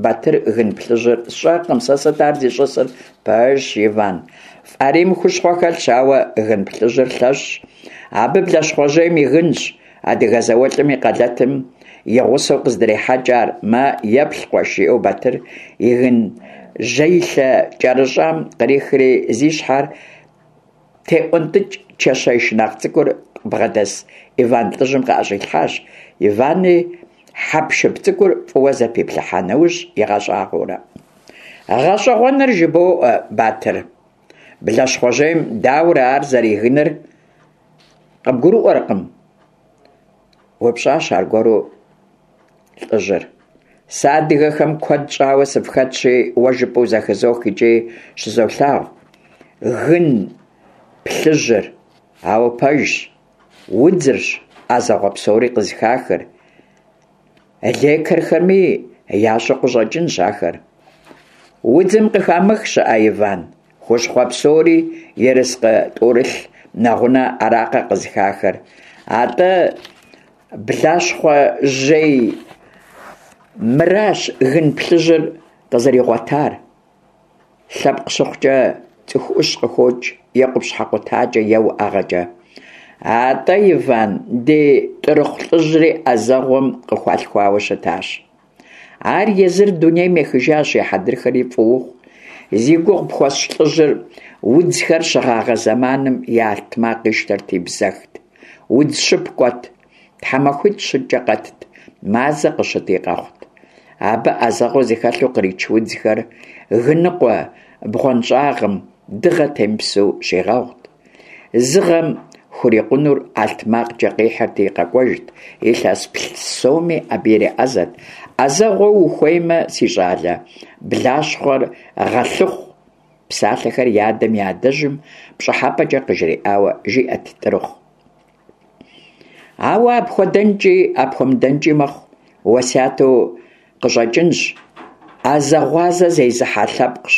Speaker 1: Батыр гын плъыжьыр сщӀэркъым, сэ сыт ар зищӀысыр? Пэжщ, Иван, фӀарийм хущхъуэ хэлъщ, ауэ гын плъыжьыр лъэщщ. Абы блащхъуэжьейм и гынщ, адыгэ зауэлӀым и къалэтым и гъусэу къыздрехьэкӀ ар. Мэ, еплъ, къуэш, жиӀэу Батыр и гынжьеилъэ кӀэрыщӀам кърихри зи щхьэр теӀуэнтӀыкӀ чэщей шынакъ цӀыкӀур къыбгъэдэс Иван лӀыжьым къыӀэщӀилъхьащ. Ивани хьэпшып цӀыкӀур фӀыуэ зэпиплъыхьа нэужь игъэщӀагъуэурэ. ГъэщӀэгъуэныр жыбоӀэ, Батыр. Блащхъуэжьейм дауэрэ ар зэригыныр къыбгурыӀуэркъым? упщӀащ аргуэру лӀыжьыр. Сэ адыгэхэм куэд щӀауэ сыфхэтщи, уэ жыпӀэу зэхызох икӀи щызолъагъу гын плъыжьыр. Ауэ пэжщ, удзырщ Ӏэзэгъуэ псори къызыхахыр. Лекархэми ящӀэу къыщӀэкӀынщ ахэр. Удзым къыхамых щыӀэ, Иван, хущхъуэ псори, ерыскъы тӀурылъ нэгъунэ аракъэ къызыхахыр. АтӀэ, блащхъуэжьей мыращ гын плъыжьыр къызэригъуэтар. Лъэпкъ щыхъукӀэ, цӀыху Ӏущ къыхокӀ, е къупщхьэ къутакӀэ, е уӀэгъэкӀэ. АтӀэ, Иван, ди ТӀырыхъу лӀыжьри Ӏэзэгъуэм къыхуалъхуауэ щытащ. Ар езыр дунейм ехыжащ, и хьэдрыхэри фӀы ухъу. Зи гугъу пхуэсщӀ лӀыжьыр удзхэр щыгъагъэ зэманым и алътмакъ ищтэрти бзэхт, удз щып кӀуэт, тхьэмахуитӀ-щыкӀэ къэтт, мазэ къыщыти къэхъут. Абы Ӏэзэгъуэ зыхэлъу кърич удзхэр гыныкъуэ бгъуэнщӀагъым дыгъэ темыпсэу щигъэгъут. Зы гъэм хурикъунур алътмакъкӀэ къихьырти къэкӀуэжт, илъэс псоми абы иреӀэзэт. Ӏэзэгъуэ ухуеймэ, си щӀалэ, блащхъуэр гъэлъыхъу, псалъэхэр и адэм и адэжьым пщӀыхьэпӀэкӀэ къыжриӀауэ жиӀэт ТӀырыхъу. Ауэ апхуэдэнкӀи апхуэмыдэнкӀи мэхъу, уэсяту къыщӀэкӀынщ. Ӏэзэгъуазэ зезыхьэ лъэпкъщ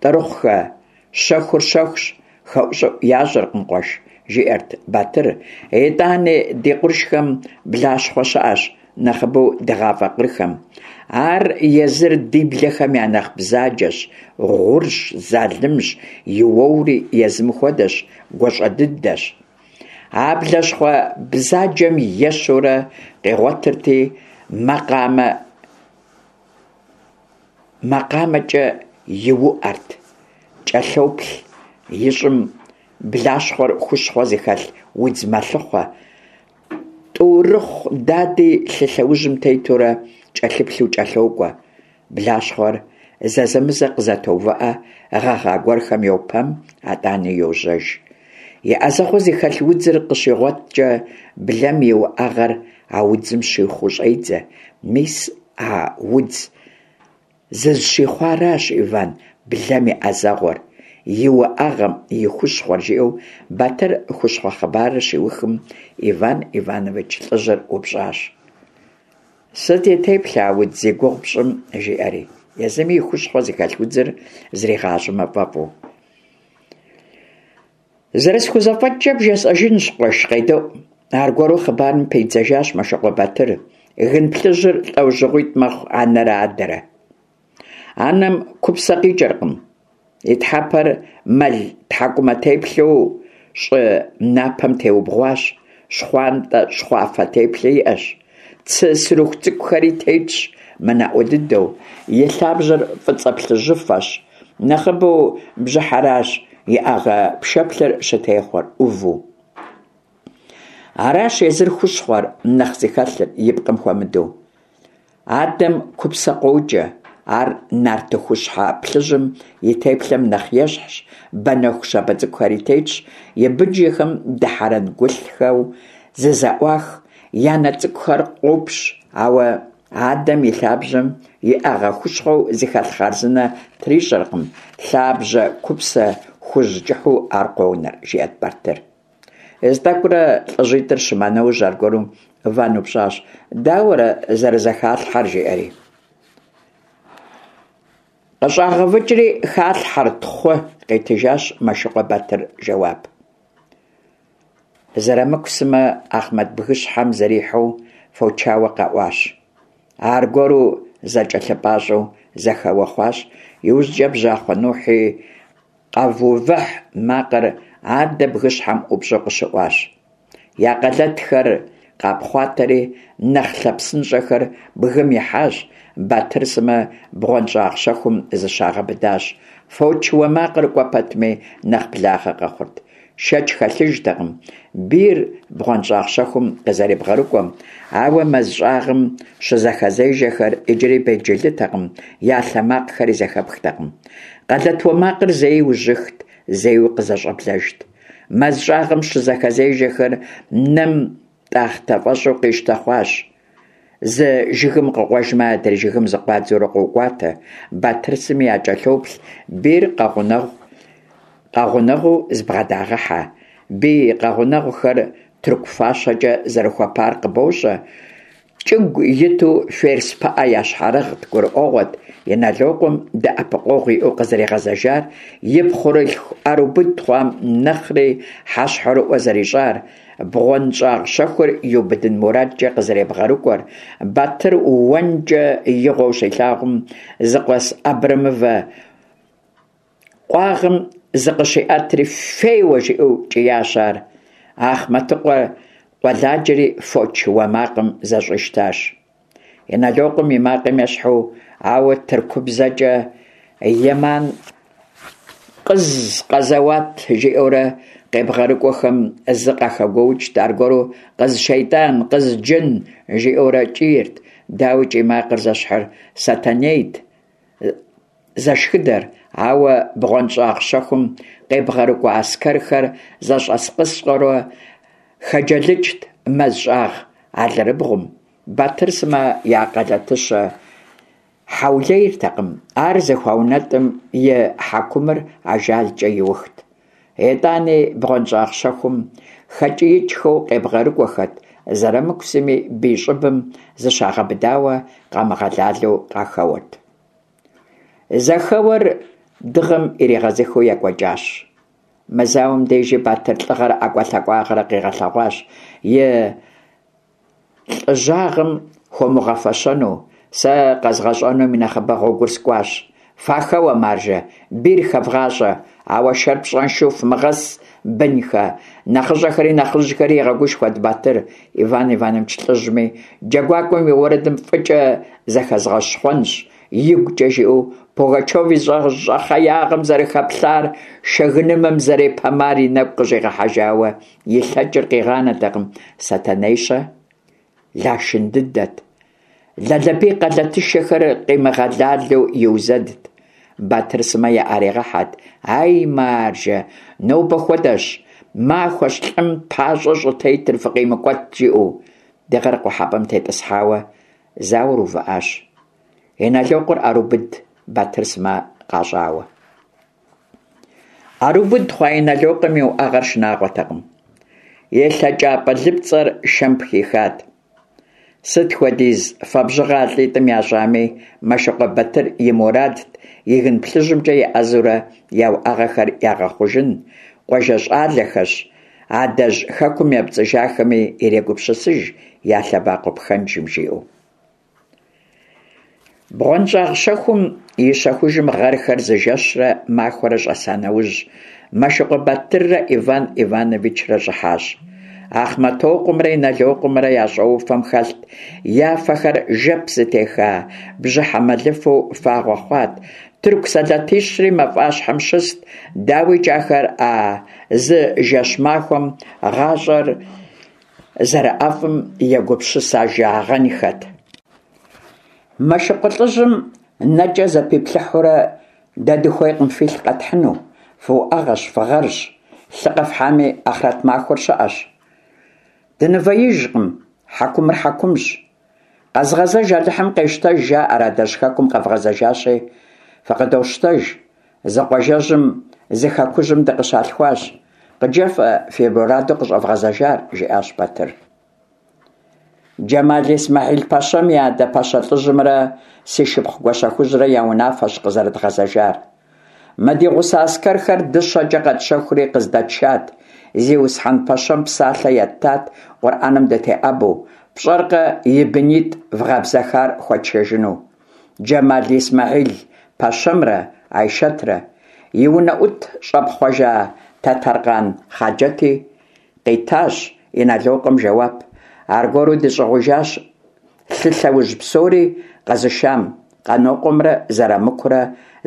Speaker 1: ТӀырыхъухэ, щэхур щэхущ, хэӀущӀыӀу ящӀыркъым, къуэш, жиӀэрт Батыр. ИтӀани ди къуршхэм блащхъуэ щыӀэщ, нэхъыбэу дыгъафӀэ къырхэм. Ар езыр ди блэхэм я нэхъ бзаджэщ, гъурщ, залымщ, и уэури езым хуэдэщ, гуащӀэ дыдэщ. А блащхъуэ бзаджэм ещэурэ къигъуэтырти, макъамэкӀэ иуӀэрт. КӀэлъоплъ ищӀым, блащхъуэр хущхъуэ зыхэлъ удз мэлъыхъуэ. ТӀурыхъу дади лъы лъэужьым тетурэ кӀэлъыплъу кӀэлъокӀуэ. Блащхъуэр зэзэмызэ къызэтоувыӀэ, гъэгъа гуэрхэм йопэм, итӀанэ йожьэж. И Ӏэзэгъуэ зыхэлъ удзыр къыщигъуэткӀэ, блэм и уӀэгъэр а удзым щихъуу щӀедзэ. Мис а удз зызыщихъуаращ, Иван, блэм и Ӏэзэгъуэр, и уӀэгъэм и хущхъуэр, жиӀэу Батыр хущхъуэ хъыбарыр щиухым, Иван Иванович лӀыжьыр упщӀащ. Сыт и теплъэ а удз зи гугъу пщӀым? жиӀэри, езыми и хущхъуэ зыхэлъ удзыр зригъащӀэмэ фӀэфӀу. ЗэрысхузэфӀэкӀкӀэ бжесӀэжынщ, къуэш, къедэӀу. Аргуэру хъыбарым пидзэжащ Мэшыкъуэ Батыр. Гын плъыжьыр лӀэужьыгъуитӀ мэхъу: анэрэ адэрэ. Анэм купсэ къикӀэркъым. И тхьэмпэр мэл тхьэкӀумэ теплъэу щӀы напэм теубгъуащ, щхъуантӀэ-щхъуафэ теплъэ иӀэщ. Цы сырыху цӀыкӀухэри тетщ, мынаӀуэ дыдэу. И лъабжьэр фӀыцӀэ-плъыжьыфэщ. Нэхъыбэу бжьыхьэращ иӀэгъэ пшэплъыр щытехъуэр, Ӏуву. Аращ езыр хущхъуэр нэхъ зыхэлъыр, и пкъым хуэмыдэу. Адэм купсэ къокӀэ. Ар нартыхущхьэ плъыжьым и теплъэм нэхъ ещхьщ, банэху щабэ цӀыкӀухэри тетщ, и бынжэхэм дыхьэрэнгулъхэу зызэӀуах, я нэ цӀыкӀухэр къопщ, ауэ адэм и лъабжьэм иӀэгъэ хущхъуэу зыхэлъ хъарзынэ трищӀэркъым, лъабжьэ купсэ хужь кӀыхьу ар къонэр, жиӀэрт Батыр. Зы тӀэкӀурэ лӀыжьитӀыр щыма нэужь, аргуэру Иван упщӀащ: «Дауэрэ зэрызэхалъхьэр?» жиӀэри. КъыщӀагъэвыкӀри халъхьэр тхъу, къитыжащ Мэшыкъуэ Батыр жэуап. Зырамыку сымэ Ахъмэт бгыщхьэм зэрихьэу фочауэ къэӀуащ. Аргуэру зэкӀэлъыпӀащӀэу зэхэуэ хъуащ. ИужькӀэ бжьахъуэ Нухь и «къэвувыхь» макъыр адэ бгыщхьэм ӀупщӀу къыщыӀуащ. Я къэлэтхэр къапхъуатэри, нэхъ лъэпсынщӀэхэр бгым ихьащ, Батыр сымэ бгъуэнщӀагъ щэхум зыщагъэбыдащ. Фоч уэ макъыр кӀуэ пэтми нэхъ благъэ къэхъурт. Шэч хэлъыжтэкъым бийр бгъуэнщӀагъ щэхум къызэребгъэрыкӀуэм, ауэ мэз щӀагъым щызэхэзежэхэр иджыри белджылытэкъым, я лъэ макъхэри зэхэпхтэкъым. Къэлэт уэ макъыр зэи ужьыхт, зэи къызэщӀэблэжт. Мэз щӀагъым щызэхэзежэхэр нэм тӀахътэ фӀэщӀу къищтэ хъуащ. Зы жыгым къыкъуэжмэ, адрей жыгым зыкъуадзэурэ къокӀуатэ. Батыр сыми якӀэлъоплъ, бийр къэгъунэгъуу зыбгъэдагъэхьэ. Бий къэгъунэгъухэр тырку фащэкӀэ зэрыхуэпар къыбощӀэ, кӀыгу иту ферс пыӀэ ящхьэрыгът, гурыӀуэгъуэт Иналокъуэм дэӀэпыкъуэгъу иӀэу къызэригъэзэжар и пхъурылъху Ӏэрыубыд хъуам нэхъри хьэщхьэрыӀуэ зэрищӀар, бгъуэнщӀагъ щэхур иубыдын мурадкӀэ къызэребгъэрыкӀуэр. Батыр уэнкӀэ игъуэу щилъагъум, зыкъуэс абрэмывэ къуагъым зыкъыщиӀэтри, «феуэ!» жиӀэу кӀиящ ар. Ахъмэтыкъуэ къуэладжэри фоч уэ макъым зэщӀищтащ. Иналокъуэм и макъым ещхьу, ауэ тыркубзэкӀэ «Яман къыз къэзэуат» жиӀэурэ къебгъэрыкӀуэхэм зы къахэгуоукӀырт, аргуэру «Къыз шейтӀан! Къыз джын!» жиӀэурэ кӀийрт. Дауи, кӀий макъыр зэщхьыр Сэтэнейт зэшхыдэр, ауэ бгъуэнщӀагъ щэхум къебгъэрыкӀуэ аскэрхэр зэщӀэскъыскъэурэ хэджэлыкӀырт мэз щӀагъ алэрыбгъум. Батыр сымэ я къэлэтыщэ хьэулейртэкъым, ар зыхуаунэтӀым и хьэкумыр ажалкӀэ иухт. ИтӀани бгъуэнщӀагъ щэхум хэкӀиикӀхэу къебгъэрыкӀуэхэрт, Зырамыку сыми бий щӀыбым зыщагъэбыдауэ къамыгъэлалэу къахэуэрт. Зэхэуэр дыгъэм иригъэзыхыу екӀуэкӀащ. Мы зауэм дежи Батыр лӀыгъэрэ ӀэкӀуэлъакӀуагъэрэ къигъэлъэгъуащ, и лӀыжьагъым хуумыгъэфэщэну. Сэ къэзгъэщӀэнум и нэхъыбэ гъуэгур скӀуащ. Фахэуэ, маржэ, бийр хэвгъащӀэ, ауэ шэр пщӀэншэу фымыгъэс, бынхэ! НэхъыщӀэхэри нэхъыжьхэри игъэгушхуэрт Батыр. Иван Иванович лӀыжьми джэгуакӀуэм и уэрэдым фӀыкӀэ зэхэзгъэщхъуэнщ, игукӀэ жиӀэу Пугачев и зэщӀэхъеягъэм зэрыхэплъар, шэгынымэм зэрепэмар и нэгу къыщӀигъэхьэжауэ, и лъэкӀыр къигъанэртэкъым. Сэтэней-щэ? Лашын дыдэт. Лалэбий къэлэтышэхэр къимыгъэлалэу иузэдт. Батыр сымэ яӀэригъэхьэрт: «Ай, маржэ, нобэ хуэдэщ махуэщ лӀым пащӀэ щӀытетыр, фыкъимыкӀуэт!» жиӀэу. Дыгъэр къухьэпӀэм тетӀысхьауэ зауэр увыӀащ. Иналокъуэр Ӏэрыубыд Батыр сымэ къащӀауэ. Ӏэрыубыд хъуа Иналокъуэм и уӀэгъэр шынагъуэтэкъым. И лъэкӀапӀэ лыпцӀэр шэм пхихат. Сыт хуэдиз фэбжьыгъэ а лӀитӀым ящӀами, Мэшыкъуэ Батыр и мурадт и гын плъыжьымкӀэ еӀэзэурэ я уӀэгъэхэр ягъэхъужын, къуажэ щӀалэхэщ, адэжь хэкум епцӀыжахэми ирегупсысыж я лъэбакъуэ пхэнжым, жиӀэу. БгъуэнщӀагъ щэхум и щэхужым гъэрхэр зы жэщрэ махуэрэ щӀэса нэужь, Мэшыкъуэ Батыррэ Иван Ивановичрэ щӀыхьащ. Ахъмэтокъуэмрэ Иналокъуэмрэ я щӀэуфэм хэлът, я фэхэр жэп зытеха бжьыхьэ мэлыфэу фагъуэ хъуат. Тырку сэлэтищри мафӀащхьэм щыст. ДауикӀ, ахэр а зы жэщ-махуэм гъащӀэр зэрыӀэфӀым егупсысэжагъэнхэт. Мэшыкъуэ лӀыжьым нэкӀэ зэпиплъыхьурэ, дэ дыхуейкъым филъ къэтхьыну, фыуӏэгъэщ, фыгъэрщ, лъы къэфхьами, ахърэт махуэр щыӀэщ. Дынывэижкъым, хьэкумыр хьэкумщ. Къэзыгъэзэж Алыхьым къещтэж, жаӀэр, адэжь хэкум къэвгъэзэжащи, фыкъыдощтэж. Зы къуажэжьым, зы хэкужьым дыкъыщалъхуащ. КъыджефӀэ фи мураду къыщӀэвгъэзэжар, жиӀащ Батыр. Джэмал Исмэхьил пэщэм и адэ пэщэ лӀыжьымрэ си шыпхъу Гуащэхужьрэ я унафэщ къызэрыдгъэзэжар. Мы ди гъусэ аскэрхэр дыщэкӀэ къэтщэхури къыздэтшат. Зиусхьэн пэщэм псалъэ еттат КъурӀэным дытеӀэбэу, пщӀэркъэ и бынитӀ вгъэбзэхар хуэтшэжыну. Джэмал Исмэхьил пэщэмрэ Айшэтрэ и унэӀут щӀэпхъуэжа Тэтэркъан Хъаджэти къитащ Иналокъуэм жэуап. Аргуэру дыщӀигъужащ лъы лъэужь псори къэзышам Къанокъуэмрэ Зэрамыкурэ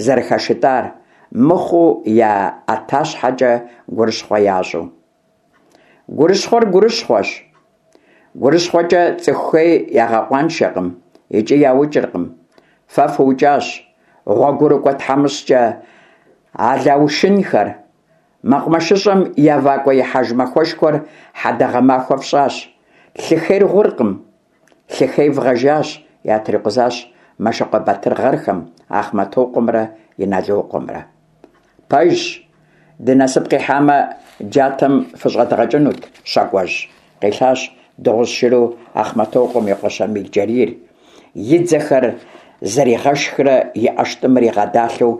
Speaker 1: зэрыхэшытӀар, мыхъуу я ӀэтащхьэкӀэ гурыщхъуэ ящӀу. Гурыщхъуэр гурыщхъуэщ. ГурыщхъуэкӀэ цӀыху хей ягъэкъуаншэркъым икӀи яукӀыркъым. Фэ фыукӀащ гъуэгурыкӀуэ тхьэмыщкӀэ алаушынхэр. МэкъумэшыщӀэм я вакӀуэихьэж махуэшхуэр хьэдэгъэ махуэ фщӀащ. Лъы хейр гъуркъым, лъы хей вгъэжащ, ятрикъузащ Мэшыкъуэ Батыр гъэрхэм, Ахъмэтокъуэмрэ Иналокъуэмрэ. Пэжщ, ди насып къихьамэ, джатэм фыщӀэдгъэкӀынут, щакӀуэжь, къилъащ дыгъужь шыру Ахъмэтокъуэм и къуэ Щамил-Джэрийр, и дзэхэр зэригъэшхрэ и ӏэштӏымыр игъэдалъэу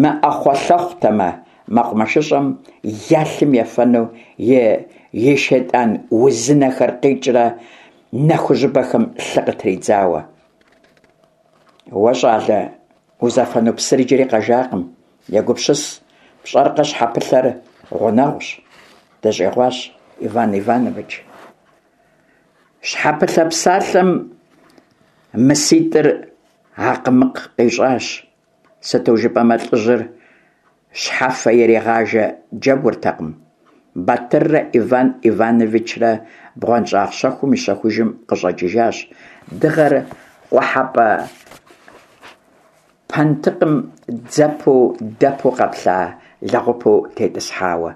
Speaker 1: мыӏэхъуэлъэхъутэмэ, мэкъумэшыщӏэм я лъым ефэну и шейтӏан узынэхэр къикӏрэ нэ хужьыбэхэм лъы къытридзауэ. Уэ, щӏалэ, узэфэну псыр иджыри къэжакъым, егупсыс, пщӏэркъэ, щхьэпылъэр гъунэгъущ, дыщӏигъуащ Иван Иванович. Щхьэпылъэ псалъэм мыситӏыр акъмыкъ къищӏащ, сыту жыпӏэмэ лӏыжьыр щхьэфэ иригъажэ джэгуртэкъым. Батыррэ Иван Ивановичрэ бгъуэнщӏагъ щэхум и щэхужым къыщӏэкӏыжащ, дыгъэр къухьэпӏэ пэнтыкъым дзэпу дэпу къэплъа лэгъупу тетӏысхьауэ.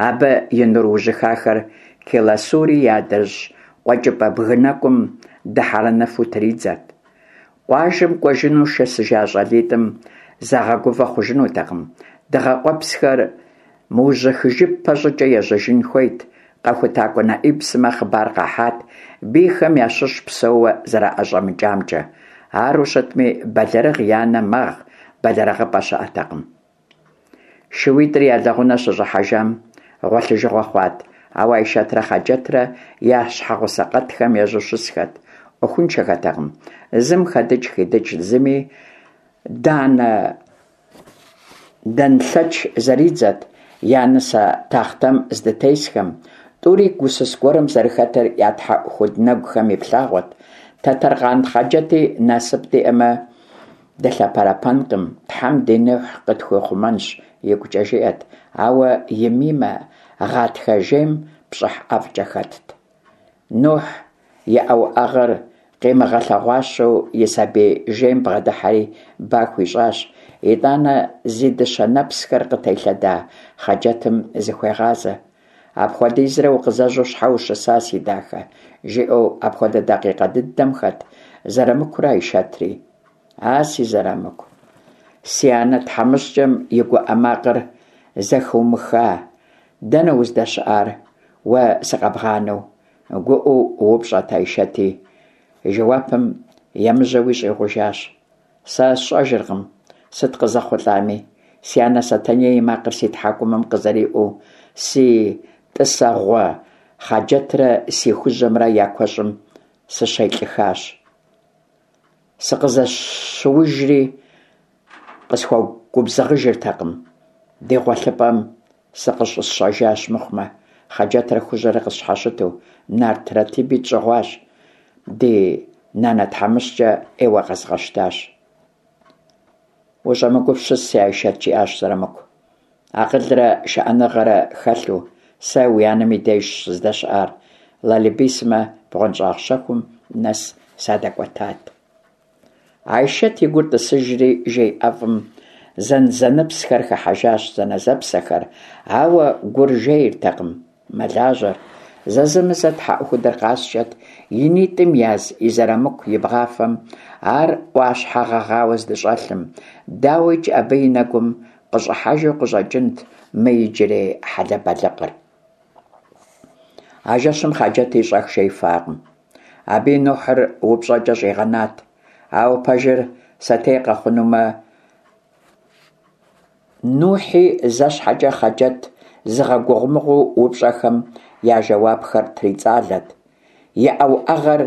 Speaker 1: Абы и нур ужьыхахэр Келасури и адрыщӏ къуэкӏыпӏэ бгы нэкӏум дыхьэрэнэфу тридзэрт. Къуажэм кӏуэжыну шэсыжа щӏалитӏым загъэгувэ хъужынутэкъым, дыгъэ къуэпсхэр мыужьыхыжыпэ щӏыкӏэ ежьэжын хуейт. Къэхутакӏуэ Нэӏиб сымэ хъыбар къахьат бийхэм ящыщ псэууэ зэраӏэщӏэмыкӏамкӏэ. Ару щытми, бэлэрыгъ и анэ мэгъ, бэлэрыгъыпӏэ щыӏэтэкъым. Шууитӏыр я лэгъунэ щыщӏыхьэжам гъуэлъыжыгъуэ хъуат, ауэ Айшэтрэ Хъаджэтрэ я щхьэгъусэ къэтхэм ежьэу щысхэт, ӏуэхуншэхэтэкъым. Зым хэдыкӏ хидыкӏт, зыми данэ дэнлъэч зэридзэт я нысэ тахътэм здытесхэм. Тӏури гусыс гуэрым зэрыхэтыр я тхьэӏухуд нэгухэм иплъагъуэт. Тэтэркъан Хъаджэти насып диӏэмэ, дылъэпэрэпэнкъым, Тхьэм ди Нухь къытхуихъумэнщ, игукӏэ жиӏэт, ауэ и Мимэ гъатхэ жейм пщӏыхь ӏэфӏкӏэ хэтт. Нухь иӏэ уӏэгъэр къимыгъэлъэгъуащэу и сабий жейм бгъэдыхьэри ба хуищӏащ. Итӏанэ зи дыщэ нэпсхэр къытелъэда Хъаджэтым зыхуегъазэ. Апхуэдизрэ укъызэжьэу щхьэ ущыса, си дахэ? жиӏэу апхуэдэ дакъикъэ дыдэм хэт Зэрамыкурэ Айшэтри. А си Зэрамыку, си анэ тхьэмыщкӏэм и гуӏэ макъыр зэхыумыха, дэнэ уздэщыӏар, уэ сыкъэбгъанэу? Гуӏэу упщӏэт Айшэти, жэуапым емыжьэуи щӏигъужащ. Сэ сщӏэжыркъым сыт къызэхъулӏами, си анэ Сэтэней и макъыр си тхьэкӏумэм къызэриӏуэу, си тӏысэгъуэ Хъаджэтрэ си хужьэмрэ я куэщӏым сыщелӏыхащ. Сыкъызэщыужри къысхуэгубзыгъыжыртэкъым. Ди гъуэлъыпӏэм сыкъыщӏэсщӏэжащ мыхъумэ, Хъаджэтрэ Хужьэрэ къысщхьэщыту, нарт Ратиби тщӏыгъуащ. Ди нанэ тхьэмыщкӏэ ӏейуэ къэзгъэщтащ. Ущӏэмыгупсыс, си Айшэт, жиӏащ Зэрамыку. Акъылрэ шыӏэныгъэрэ хэлъу сэ уи анэм и дежщ сыздэщыӏар. Лалыбий сымэ бгъуэнщӏагъ щэхум нэс садэкӏуэтат. Айшэт и гур тӏысыжри, жей ӏэфӏым зэнзэныпсхэр хыхьэжащ зэнэзэпсэхэр, ауэ гур жейртэкъым, мэлажьэр. Зэзэмызэ тхьэӏухудыр къаскӏэт, и нитӏым яз и Зэрамыку и бгъафэм ар ӏуащхьэ гъэгъауэ здыщӏэлъым. Дауикӏ, абы и нэгум къыщӏыхьэжу къыщӏэкӏынт мы иджырей хьэлэбэлыкъыр. А жэщым Хъаджэти щӏэх жеифакъым. Абы и Нухьыр упщӏэкӏэ щӏигъэнат. Ауэ пэжыр сэтей къэхъунумэ, Нухьи зэ щхьэкӏэ Хъаджэт зыгъэгугъумыгъу упщӏэхэм я жэуапхэр трицӏалэт. Иӏэ уӏэгъэр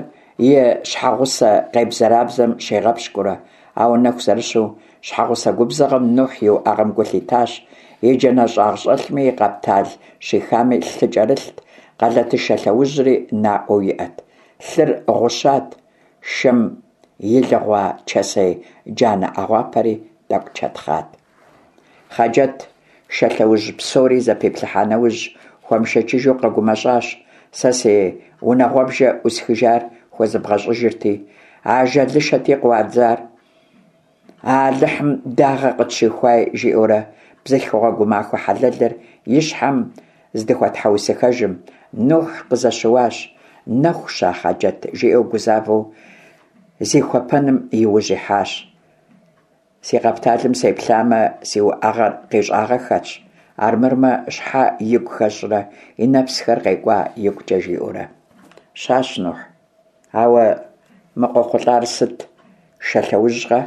Speaker 1: и щхьэгъусэ къебзэрабзэм щигъэпщкӏуурэ, ауэ нэху зэрыщу щхьэгъусэ губзыгъэм Нухь и уӏэгъэм гу лъитащ. И джанэ щӏагъщӏэлъми и къэптал щихами лъы кӏэрылът, къалэтышэ лъэужьри наӏуэу иӏэт. Лъыр гъущат, шэм илыгъуа чэсей джанэ ӏэгъуапэри тӏэкӏу чэтхъат. Хъаджэт шэ лъэужь псори зэпиплъыхьа нэужь, хуэмышэчыжу къэгумэщӏащ. Сэ си унагъуэбжэ ӏусхыжар хуэзыбгъэщӏыжырти, ажалышэти къыуадзар. Алыхьым дагъэ къытщихуай, жиӏэурэ бзылъхугъэ гумахуэ хьэлэлыр и щхьэм здыхуэтхьэусыхэжым, Нухь къызэщыуащ. Нэху ща, Хъаджэт, жиӏэу гузавэу зихуэпэным и ужь ихьащ. Си къэпталым сеплъамэ, си уӏэгъэр къищӏагъэххэщ, армырмэ щхьэ игу хэщӏрэ и нэпсхэр къекӏуа игукӏэ жиӏэурэ. Щащ, Нухь, ауэ мы къохъулӀар сыт, шэ лъэужькъэ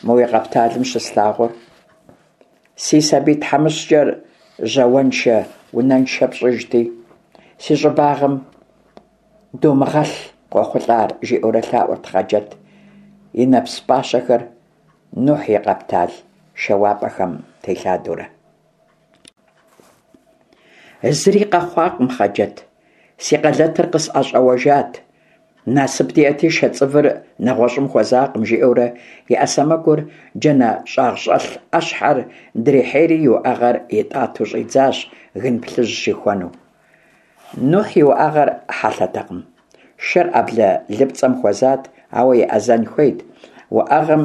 Speaker 1: мы уи къэпталым щыслъагъур? Си сабий тхьэмыщкӀэр жьауэншэ-унэншэ пщӀыжти, си щӀыбагъым думыгъэлъ къохъулӀар, - жиӀэурэ лъаӀуэрт Хъаджэт, и нэпс пӀащэхэр Нухь и къэптал шэуапӀэхэм телъадэурэ. Зыри къэхъуакъым, Хъаджэт, си къэлэтыр къысӀэщӀэуэжат, насып диӀэти, шэ цӀывыр нэгъуэщӀым хуэзакъым, – жиӀэурэ и Ӏэ сэмэгур джанэщӀагъщӀэлъ Ӏэщхьэр дрихьейри и уӀэгъэр итӀатэу щӀидзащ, гын плъыжь щихуэну. Нухь и уӀэгъэр хьэлъэтэкъым, шэр Ӏэблэ лыпцӀэм хуэзат, ауэ еӀэзэн хуейт, уӀэгъэм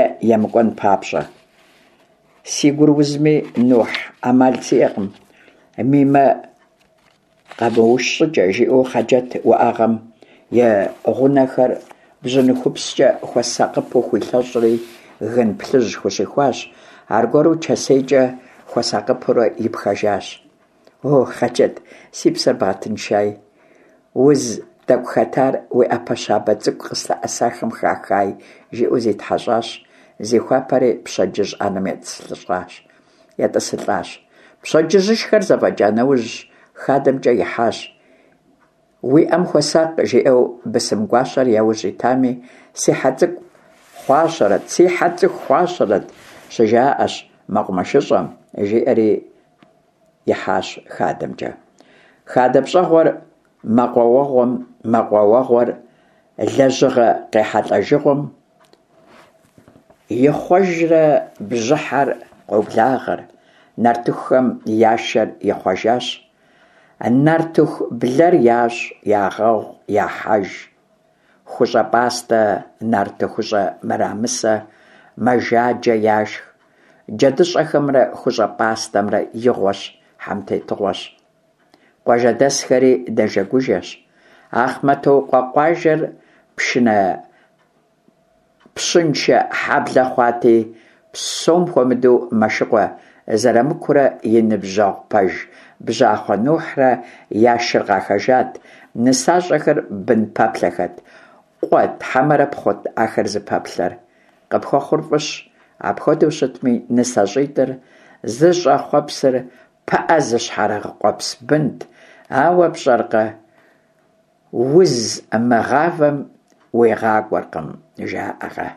Speaker 1: е емыкӀуэн папщӀэ. Си гур узми, Нухь, Ӏэмал сиӀэкъым, Мимэ къэмыуш щӀыкӀэ, – жиӀэу Хъаджэт уӀэгъэм и гъунэхэр бжьыныхупскӀэ хуэсакъыпэу хуилъэщӀри, гын плъыжь хущихуащ, аргуэру чэсейкӀэ хуэсакъыпэурэ ипхэжащ. О, Хъаджэт, си псэр бгъэтыншаи, уз тӀэкӀу хэтар уи Ӏэпэ щабэ цӀыкӀу къыслъэӀэсахэм хахаи, – жиӀэу зитхьэщӀащ, зихуапэри пщэдджыжь Ӏэнэм етӀысылӀащ. Пщэдджыжьышхэр зэфӀэкӀа нэужь, хадэмкӀэ ихьащ. Уи Ӏэм хуэсакъ, жиӀэу бысым гуащэр яужь итами, си хьэ цӀыкӀу хъуащэрэт, си хьэр цӀыху хъуащэрэт, щыжаӀэщ мэкъумэшыщӀэм, жиӀэри ихьащ хадэмкӀэ. Хадэ пщӀэгъуэр мэкъуауэгъуэм, мэкъуауэгъуэр лэжьыгъэ къехьэлӀэжыгъуэм ихъуэжрэ бжьыхьэр къоблагъэр, нартыхухэм я шэр ихъуэжащ. Нартыху блэр ящӀ, ягъэгъу, яхьэж. ХущӀэ пӀастэ, нартыхущӀэ мырамысэ, мэжаджэ яшх. ДжэдыщӀэхэмрэ хущӀэ пӀастэмрэ игъуэщ, хьэмтетыгъуэщ. Къуажэдэсхэри нэжэгужэщ. Ахъмэтокъуэ къуажэр пщыншэ хьэблэ хъуати, псом хуэмыдэу Мэшыкъуэ Зырамыкурэ и ныбжьэгъу пэж Бжьахъуэ Нухьрэ я шыр къахэжат, нысащӀэхэр бын пэплъэхэт. Къуэт хьэмэрэ пхъут ахэр зыпэплъэр? Къыпхуэхъур фӀыщ, апхуэдэу щытми, нысащӀитӀыр зыщӀэхъуэпсыр пыӀэ зыщхьэрыгъ къуэпс бынт, ауэ, пщӀэркъэ, уз мыгъавэм уигъакӀуэркъым, жаӀэркъэ.